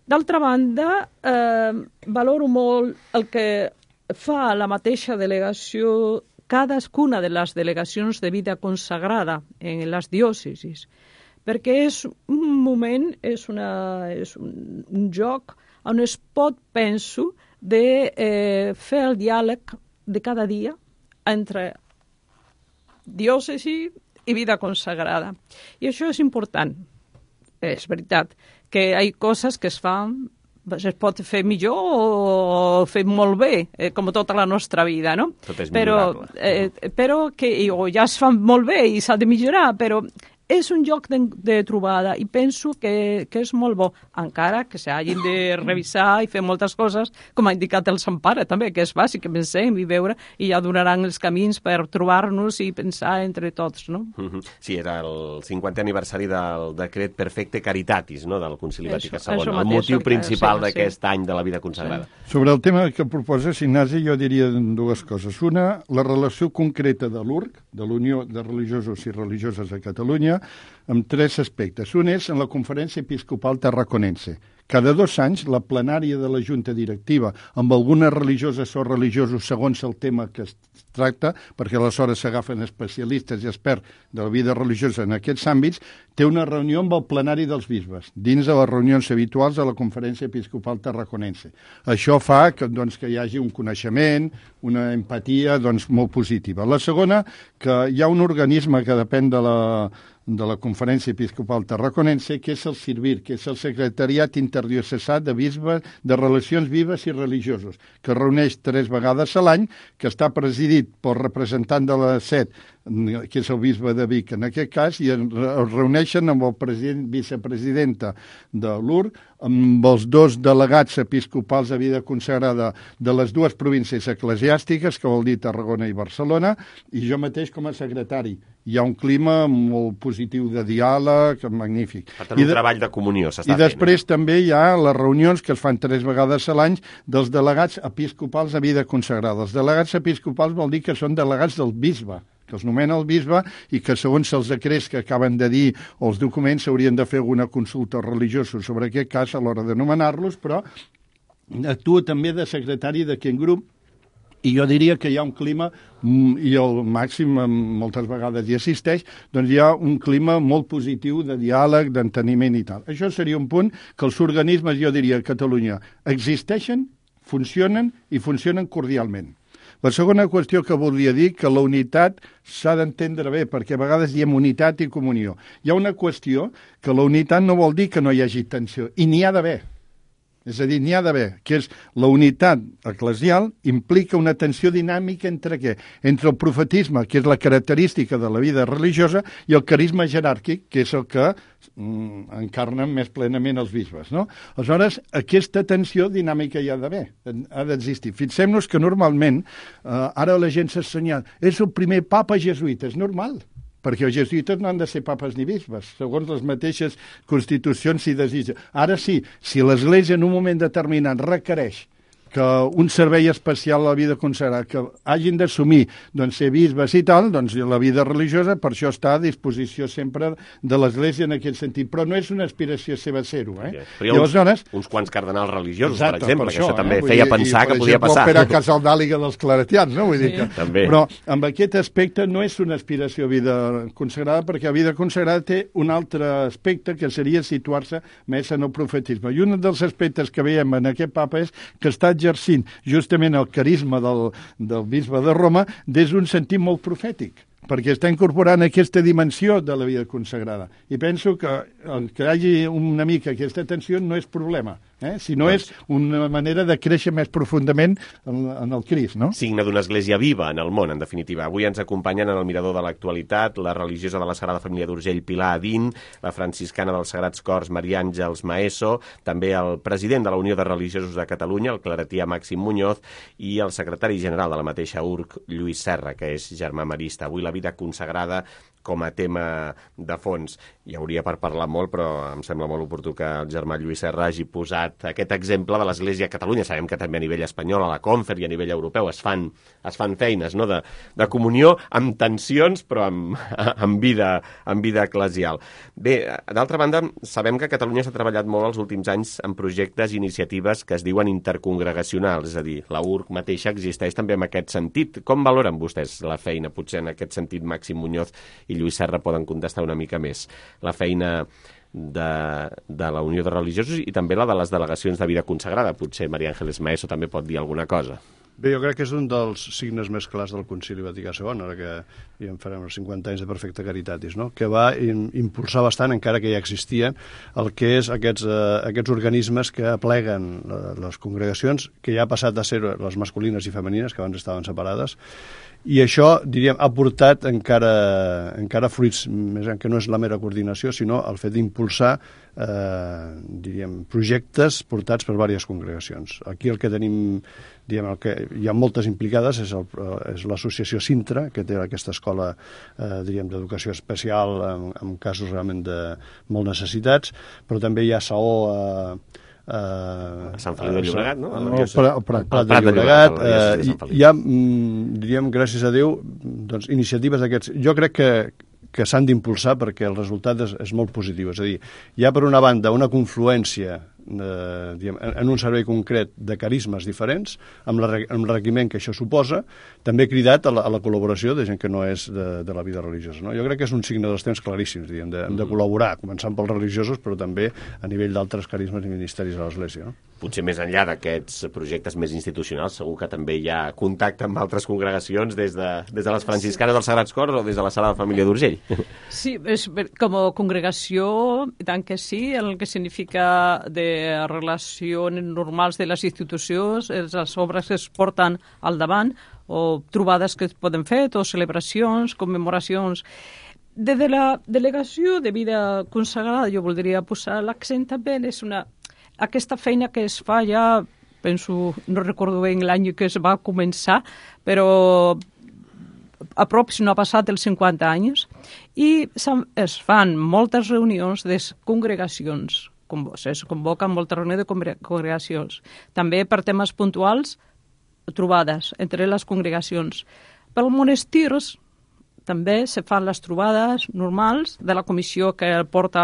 Speaker 22: D'altra banda, eh, valoro molt el que fa la mateixa delegació, cadascuna de les delegacions de vida consagrada en les diòcesis, perquè és un moment, és, una, és un, un joc on es pot, penso, de eh, fer el diàleg de cada dia entre diòcesi i vida consagrada. I això és important. És veritat que hi ha coses que es fan, es pot fer millor o fer molt bé, eh, com tota la nostra vida, no?
Speaker 7: Tot és
Speaker 22: millorable. Però, eh, però que o ja es fan molt bé i s'ha de millorar, però és un lloc de, de trobada i penso que, que és molt bo, encara que s'hagin de revisar i fer moltes coses, com ha indicat el Sant Pare també, que és bàsic, que pensem i veure, i ja donaran els camins per trobar-nos i pensar entre tots, no?
Speaker 7: Mm-hmm. Sí, era el cinquantè aniversari del decret Perfecte Caritatis, no?, del Concili Vaticà segon, el motiu principal sí, d'aquest sí. any de la vida consagrada.
Speaker 21: Sí. Sobre el tema que proposes, Ignasi, jo diria dues coses. Una, la relació concreta de l'U R C, de l'Unió de Religiosos i Religioses a Catalunya, amb tres aspectes. Un és en la Conferència Episcopal Tarraconense. Cada dos anys, la plenària de la Junta Directiva, amb algunes religioses o religiosos segons el tema que es tracta, perquè aleshores s'agafen especialistes i experts de la vida religiosa en aquests àmbits, té una reunió amb el plenari dels bisbes, dins de les reunions habituals de la Conferència Episcopal Tarraconense. Això fa que, doncs, que hi hagi un coneixement, una empatia doncs, molt positiva. La segona, que hi ha un organisme que depèn de la de la Conferència Episcopal Tarraconense, que és el CIRVIR, que és el Secretariat Interdiocesà de Bisbes de Relacions Vives i Religiosos, que es reuneix tres vegades a l'any, que està presidit pel representant de la S E D, que és el bisbe de Vic en aquest cas, i es reuneixen amb el president, vicepresidenta de l'U R C, amb els dos delegats episcopals de vida consagrada de les dues províncies eclesiàstiques, que vol dir Tarragona i Barcelona, i jo mateix com a secretari. Hi ha un clima molt positiu de diàleg, magnífic.
Speaker 7: Per tant, un de, treball de comunió s'està fent.
Speaker 21: I després fent. també hi ha les reunions que es fan tres vegades a l'any dels delegats episcopals de vida consagrada. Els delegats episcopals vol dir que són delegats del bisbe, que els nomena el bisbe i que segons els decrets que acaben de dir o els documents s'haurien de fer alguna consulta religiosa sobre aquest cas a l'hora de nomenar-los, però actua també de secretari d'aquest grup. I jo diria que hi ha un clima, i el màxim moltes vegades hi assisteix, doncs hi ha un clima molt positiu de diàleg, d'enteniment i tal. Això seria un punt que els organismes, jo diria, a Catalunya existeixen, funcionen i funcionen cordialment. La segona qüestió que volia dir, que la unitat s'ha d'entendre bé, perquè a vegades diem unitat i comunió. Hi ha una qüestió que la unitat no vol dir que no hi hagi tensió, i n'hi ha d'haver. És a dir, n'hi ha d'haver, que és la unitat eclesial implica una tensió dinàmica entre què? Entre el profetisme, que és la característica de la vida religiosa, i el carisma jeràrquic, que és el que mm, encarnen més plenament els bisbes, no? Aleshores, aquesta tensió dinàmica hi ha d'haver, ha d'existir. Fixem-nos que normalment, eh, ara la gent s'assenyala, és el primer papa jesuïta, és normal, perquè els jesuïtes no han de ser papes ni bisbes, segons les mateixes constitucions s'hi desitja. Ara sí, si l'Església en un moment determinat requereix que un servei especial a la vida consagrada, que hagin d'assumir doncs, ser bisbes i tal, doncs la vida religiosa per això està a disposició sempre de l'Església en aquest sentit, però no és una aspiració seva ser-ho. Eh?
Speaker 7: Okay. Però hi ha uns, Aleshores, uns quants cardenals religiosos, exacte, per exemple, per això, que això també eh?
Speaker 21: dir,
Speaker 7: feia pensar i, que podia
Speaker 21: exemple,
Speaker 7: passar.
Speaker 21: Per exemple, Casal d'Àliga dels Claretians, no? Vull dir que,
Speaker 7: també.
Speaker 21: Però amb aquest aspecte no és una aspiració a vida consagrada, perquè la vida consagrada té un altre aspecte que seria situar-se més en el profetisme. I un dels aspectes que veiem en aquest papa és que està exercint justament el carisma del, del bisbe de Roma des d'un sentit molt profètic, perquè està incorporant aquesta dimensió de la vida consagrada. I penso que el que hi hagi una mica aquesta tensió no és problema, Eh? Si no és una manera de créixer més profundament en, en el Crist, no?
Speaker 7: Signe d'una església viva en el món, en definitiva. Avui ens acompanyen en el Mirador de l'Actualitat la religiosa de la Sagrada Família d'Urgell, Pilar Adín, la franciscana dels Sagrats Cors, Maria Àngels Maeso, també el president de la Unió de Religiosos de Catalunya, el claretià Màxim Muñoz, i el secretari general de la mateixa U R C, Lluís Serra, que és germà marista. Avui la vida consagrada com a tema de fons. Hi hauria per parlar molt, però em sembla molt oportú que el germà Lluís Serra hagi posat aquest exemple de l'Església a Catalunya. Sabem que també a nivell espanyol, a la Confer i a nivell europeu es fan, es fan feines, no?, de, de comunió amb tensions, però amb, amb, vida, amb vida eclesial. Bé, d'altra banda, sabem que a Catalunya s'ha treballat molt els últims anys en projectes i iniciatives que es diuen intercongregacionals, és a dir, la U R C mateixa existeix també en aquest sentit. Com valoren vostès la feina, potser en aquest sentit, Màxim Muñoz i Lluís Serra poden contestar una mica més? La feina de, de la Unió de Religiosos i també la de les delegacions de vida consagrada. Potser Maria Àngels Maeso també pot dir alguna cosa.
Speaker 19: Bé, jo crec que és un dels signes més clars del Concili Vaticà segon, ara que ja en farem els cinquanta anys de Perfecta Caritatis, no?, que va impulsar bastant, encara que ja existien, el que és aquests, eh, aquests organismes que apleguen les congregacions, que ja ha passat a ser les masculines i femenines, que abans estaven separades, i això, diríem, ha portat encara, encara fruits, més que no és la mera coordinació, sinó el fet d'impulsar eh, diríem, projectes portats per diverses congregacions. Aquí el que tenim, diguem, el que hi ha moltes implicades és, el, és l'associació Sintra, que té aquesta escola eh, diríem, d'educació especial en, en casos realment de molt necessitats, però també hi ha Saó eh, Uh,
Speaker 7: a Sant Feliu de Llobregat, no?
Speaker 21: El, el, Prat, el Prat,
Speaker 7: el
Speaker 19: Prat de Llobregat. Uh, hi ha, diríem, gràcies a Déu, doncs, iniciatives d'aquests. Jo crec que, que s'han d'impulsar perquè el resultat és, és molt positiu. És a dir, hi ha per una banda una confluència eh, diguem, en un servei concret de carismes diferents, amb l'enriquiment que això suposa, també cridat a la, a la col·laboració de gent que no és de, de la vida religiosa. No? Jo crec que és un signe dels temps claríssims, diguem, de, de col·laborar, començant pels religiosos, però també a nivell d'altres carismes i ministeris a l'Església. No?
Speaker 7: Potser més enllà d'aquests projectes més institucionals, segur que també hi ha contacte amb altres congregacions des de, des de les franciscanes dels Sagrats Cors o des de la Sagrada Família d'Urgell.
Speaker 22: Sí, és, com a congregació, tant que sí, el que significa de relacions normals de les institucions, les obres que es porten al davant, o trobades que es poden fer, o celebracions, commemoracions. Des de la delegació de vida consagrada, jo voldria posar l'accent també és una, aquesta feina que es fa ja, penso, no recordo ben l'any que es va començar, però a prop, si no ha passat els cinquanta anys, i es fan moltes reunions de congregacions, es convoquen moltes reunions de congregacions. També per temes puntuals, trobades entre les congregacions. Pels monestirs també se fan les trobades normals de la comissió que porta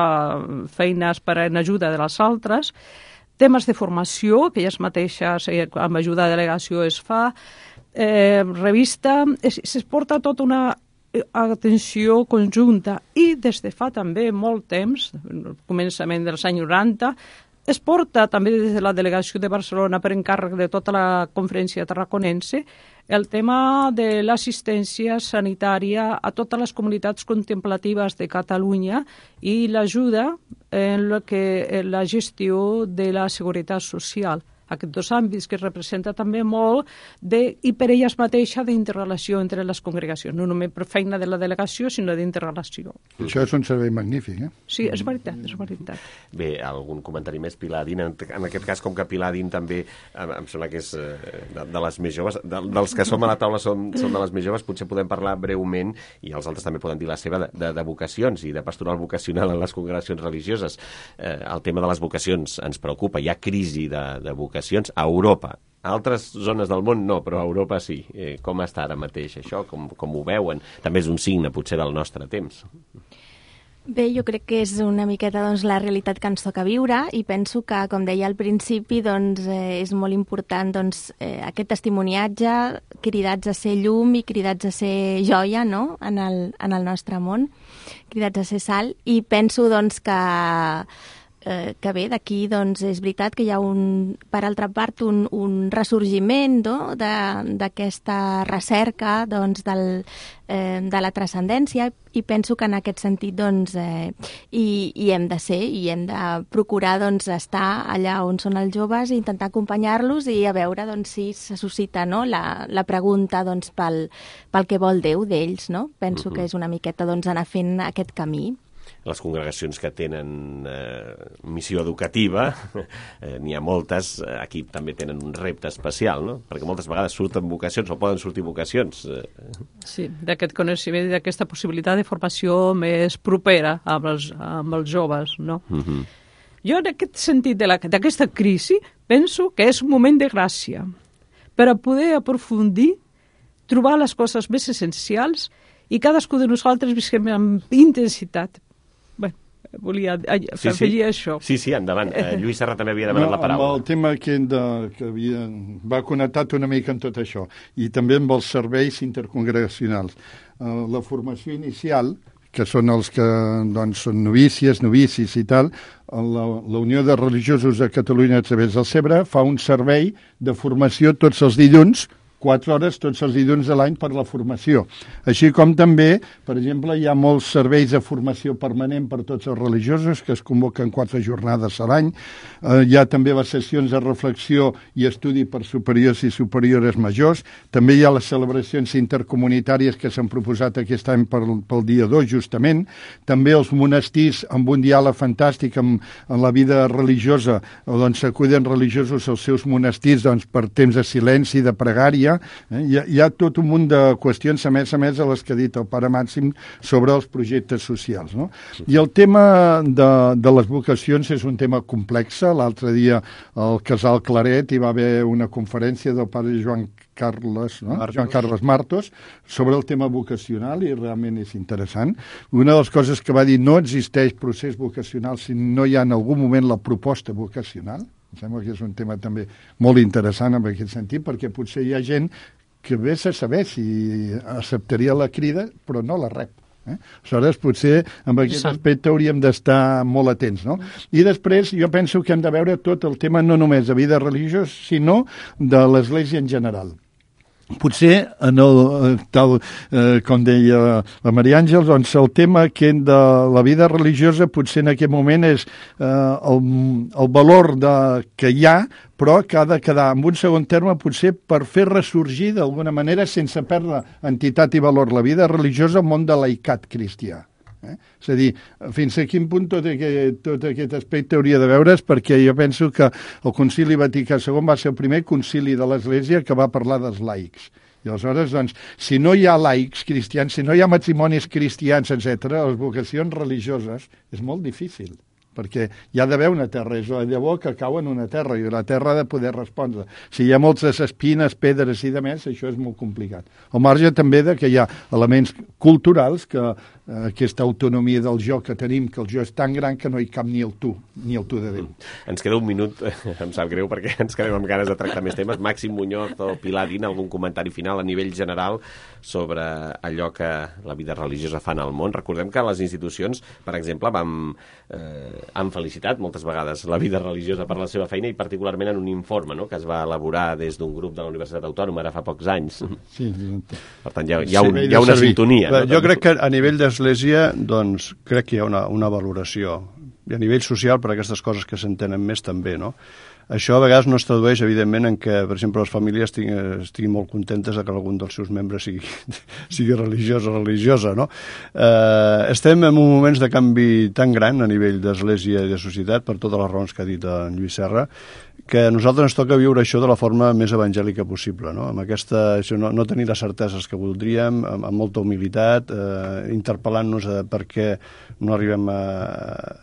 Speaker 22: feines per en ajuda de les altres, temes de formació, que elles mateixes amb ajuda de delegació es fa, eh, revista, es, es porta tota una atenció conjunta i des de fa també molt temps, al començament dels anys noranta, es porta també des de la delegació de Barcelona per encàrrec de tota la conferència tarraconense el tema de l'assistència sanitària a totes les comunitats contemplatives de Catalunya i l'ajuda en la, que, en la gestió de la seguretat social. Aquests dos àmbits que representa també molt de, i per elles mateixa d'interrelació entre les congregacions, no només per feina de la delegació, sinó d'interrelació.
Speaker 21: Això és un servei magnífic, eh?
Speaker 22: Sí, és veritat, és veritat.
Speaker 7: Bé, algun comentari més, Pilar Adín? En, en aquest cas, com que Pilar Adín també, em, em sembla que és de, de les més joves, de, dels que som a la taula som, som de les més joves, potser podem parlar breument, i els altres també poden dir la seva, de, de, de vocacions i de pastoral vocacional en les congregacions religioses. Eh, el tema de les vocacions ens preocupa, hi ha crisi de, de vocacions a Europa. A altres zones del món no, però a Europa sí. Eh, com està ara mateix això? Com, com ho veuen? També és un signe, potser, del nostre temps.
Speaker 20: Bé, jo crec que és una miqueta doncs, la realitat que ens toca viure i penso que, com deia al principi, doncs, eh, és molt important doncs, eh, aquest testimoniatge, cridats a ser llum i cridats a ser joia, no?, en el, en el nostre món, cridats a ser sal, i penso doncs, que eh, que bé, d'aquí doncs, és veritat que hi ha, un, per altra part, un, un ressorgiment no? d'aquesta recerca doncs, del, eh, de la transcendència, i penso que en aquest sentit doncs, eh, hi, hi hem de ser i hem de procurar doncs, estar allà on són els joves i intentar acompanyar-los i a veure doncs, si se suscita no? la, la pregunta doncs, pel, pel que vol Déu d'ells. No? Penso uh-huh. que és una miqueta doncs, anar fent aquest camí.
Speaker 7: Les congregacions que tenen eh, missió educativa, eh, n'hi ha moltes, aquí també tenen un repte especial, no? Perquè moltes vegades surten vocacions o poden sortir vocacions.
Speaker 22: Sí, d'aquest coneixement i d'aquesta possibilitat de formació més propera amb els, amb els joves, no? Uh-huh. Jo, en aquest sentit d'aquesta crisi, penso que és un moment de gràcia per a poder aprofundir, trobar les coses més essencials i cadascú de nosaltres visquem amb intensitat. Bé, volia afegir
Speaker 7: sí, sí.
Speaker 22: això.
Speaker 7: Sí, sí, endavant. Eh, Lluís Serra també havia demanat
Speaker 21: no,
Speaker 7: la paraula.
Speaker 21: Amb el tema que, de, que havia, va connectat una mica amb tot això, i també amb els serveis intercongregacionals. Uh, la formació inicial, que són els que doncs, són novícies, novicis i tal, la, la Unió de Religiosos de Catalunya a través del CEBRA fa un servei de formació tots els dilluns, quatre hores tots els dilluns de l'any per la formació. Així com també, per exemple, hi ha molts serveis de formació permanent per tots els religiosos que es convoquen quatre jornades a l'any. Eh, hi ha també les sessions de reflexió i estudi per superiors i superiores majors. També hi ha les celebracions intercomunitàries que s'han proposat aquest any per, pel dia dos, justament. També els monestirs amb un diàleg fantàstic amb, amb la vida religiosa, on s'acuden religiosos als seus monestirs doncs, per temps de silenci, de pregària. Eh? Hi, ha, hi ha tot un munt de qüestions, a més a més, a les que ha dit el pare Màxim sobre els projectes socials. No? I el tema de, de les vocacions és un tema complex. L'altre dia al Casal Claret hi va haver una conferència del pare Joan Carles, no? Joan Carles Martos sobre el tema vocacional i realment és interessant. Una de les coses que va dir, no existeix procés vocacional si no hi ha en algun moment la proposta vocacional. Em sembla que és un tema també molt interessant en aquest sentit, perquè potser hi ha gent que vés a saber si acceptaria la crida, però no la rep. Eh? Aleshores, potser amb aquest aspecte hauríem d'estar molt atents, no? I després jo penso que hem de veure tot el tema no només de vida religiosa, sinó de l'Església en general. Potser, en el, tal eh, com deia la Maria Àngels, doncs el tema que de la vida religiosa potser en aquest moment és eh, el, el valor de, que hi ha, però que ha de quedar en un segon terme potser per fer ressorgir d'alguna manera, sense perdre entitat i valor, la vida religiosa al món de laicat cristià. Eh? És a dir, fins a quin punt tot aquest, tot aquest aspecte hauria de veure's, perquè jo penso que el Concili Vaticà segon va ser el primer concili de l'Església que va parlar dels laics. I aleshores, doncs, si no hi ha laics cristians, si no hi ha matrimonis cristians, etcètera, les vocacions religioses és molt difícil, perquè hi ha d'haver una terra, és la llavor que cau en una terra, i la terra ha de poder respondre. Si hi ha moltes espines, pedres i de més, això és molt complicat. Al marge també de que hi ha elements culturals que eh, aquesta autonomia del jo que tenim, que el jo és tan gran que no hi cap ni el tu, ni el tu de Déu.
Speaker 7: Ens queda un minut, em sap greu perquè ens quedem amb ganes de tractar més temes. Màxim Muñoz o Pilar Din, algun comentari final a nivell general sobre allò que la vida religiosa fa en el món? Recordem que les institucions, per exemple, vam, eh, han felicitat moltes vegades la vida religiosa per la seva feina i particularment en un informe, no?, que es va elaborar des d'un grup de la Universitat Autònoma ara fa pocs anys.
Speaker 21: Sí,
Speaker 7: per tant, hi ha, hi ha, un, hi ha una sintonia.
Speaker 19: No? Jo crec que a nivell d'Església, doncs, crec que hi ha una, una valoració. I a nivell social, per aquestes coses que s'entenen més, també, no? Això a vegades no es tradueix, evidentment, en què, per exemple, les famílies estiguin, estiguin molt contentes de que algun dels seus membres sigui, sigui religiós o religiosa, no? Eh, estem en un moments de canvi tan gran a nivell d'Església i de societat, per totes les raons que ha dit en Lluís Serra, que a nosaltres ens toca viure això de la forma més evangèlica possible, no? Amb aquesta, això, no, no tenir les certeses que voldríem, amb, amb molta humilitat, eh, interpel·lant-nos a per què no arribem a,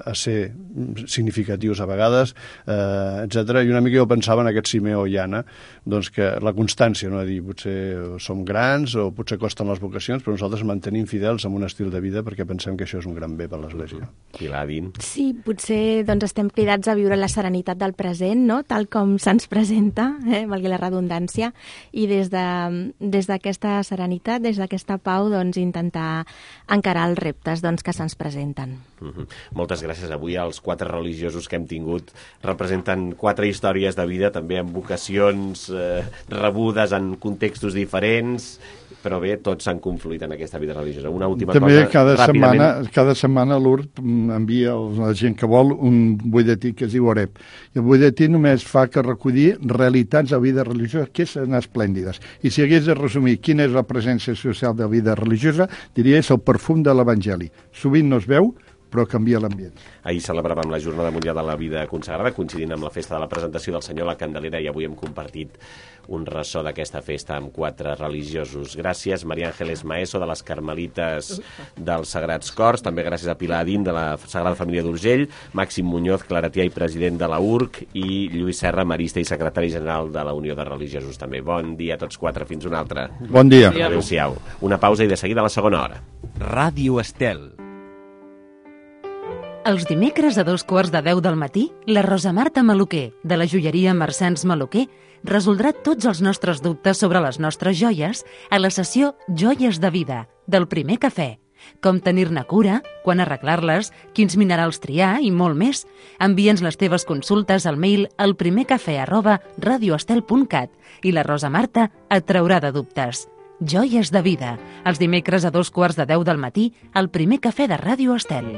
Speaker 19: a ser significatius a vegades, eh, etcètera. I una mica jo pensava en aquest Simeó i Anna, doncs que la constància, no? A dir, potser som grans o potser costen les vocacions, però nosaltres mantenim fidels amb un estil de vida perquè pensem que això és un gran bé per l'Església.
Speaker 7: Pilar Din.
Speaker 20: Sí, potser doncs, estem cridats a viure la serenitat del present, no? tal com se'ns presenta, eh, valgui la redundància, i des de, des d'aquesta serenitat, des d'aquesta pau, doncs, intentar encarar els reptes doncs, que se'ns presenten.
Speaker 7: Uh-huh. Moltes gràcies. Avui els quatre religiosos que hem tingut representen quatre històries de vida, també amb vocacions eh, rebudes en contextos diferents, però bé, tots s'han confluït en aquesta vida religiosa. Una última
Speaker 21: També
Speaker 7: cosa,
Speaker 21: cada
Speaker 7: ràpidament.
Speaker 21: setmana, cada setmana l'U R P envia a la gent que vol un butlletí que es diu Oreb. I el butlletí només fa que recollir realitats de vida religiosa que són esplèndides. I si hagués de resumir quina és la presència social de la vida religiosa, diria és el perfum de l'Evangeli. Sovint no es veu, però canvia l'ambient.
Speaker 7: Ahir celebràvem la Jornada Mundial de la Vida Consagrada, coincidint amb la festa de la presentació del Senyor a la Candelera, i avui hem compartit un ressò d'aquesta festa amb quatre religiosos. Gràcies, Maria Ángeles Maeso, de les Carmelites dels Sagrats Cors, també gràcies a Pilar Adín, de la Sagrada Família d'Urgell, Màxim Muñoz, claretià i president de la U R C, i Lluís Serra, marista i secretari general de la Unió de Religiosos també. Bon dia a tots quatre, fins una altra.
Speaker 21: Bon dia.
Speaker 7: Adéu-siau. Una pausa i de seguida a la segona hora.
Speaker 9: Ràdio Estel.
Speaker 1: Els dimecres a dos quarts de deu del matí, la Rosa Marta Maluquer, de la joieria Mercens Maluquer, resoldrà tots els nostres dubtes sobre les nostres joies a la sessió Joies de Vida, del Primer Cafè. Com tenir-ne cura, quan arreglar-les, quins minerals triar i molt més. Envia'ns les teves consultes al mail al primercafè arroba radioestel punt cat i la Rosa Marta et traurà de dubtes. Joies de Vida, els dimecres a dos quarts de deu del matí al Primer Cafè de Ràdio Estel.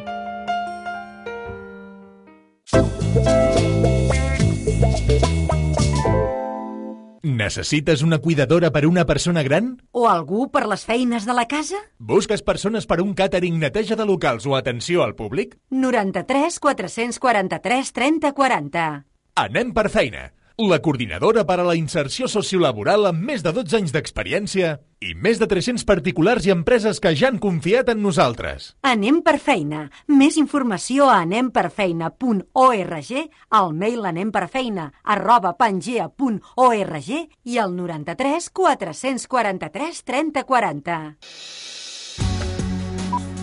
Speaker 4: Necessites una cuidadora per a una persona gran?
Speaker 5: O algú per les feines de la casa?
Speaker 4: Busques persones per a un càtering, neteja de locals o atenció al públic?
Speaker 5: noranta-tres quatre-cents quaranta-tres trenta quaranta.
Speaker 4: Anem per feina. La coordinadora per a la inserció sociolaboral amb més de dotze anys d'experiència i més de tres-cents particulars i empreses que ja han confiat en nosaltres.
Speaker 5: Anem per feina. Més informació a anem per feina punt org, al mail anemperfeina arroba pangea punt org i al noranta-tres quatre-cents quaranta-tres trenta quaranta.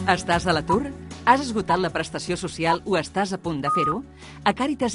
Speaker 23: Estàs a l'atur? Has esgotat la prestació social o estàs a punt de fer-ho? A Càritas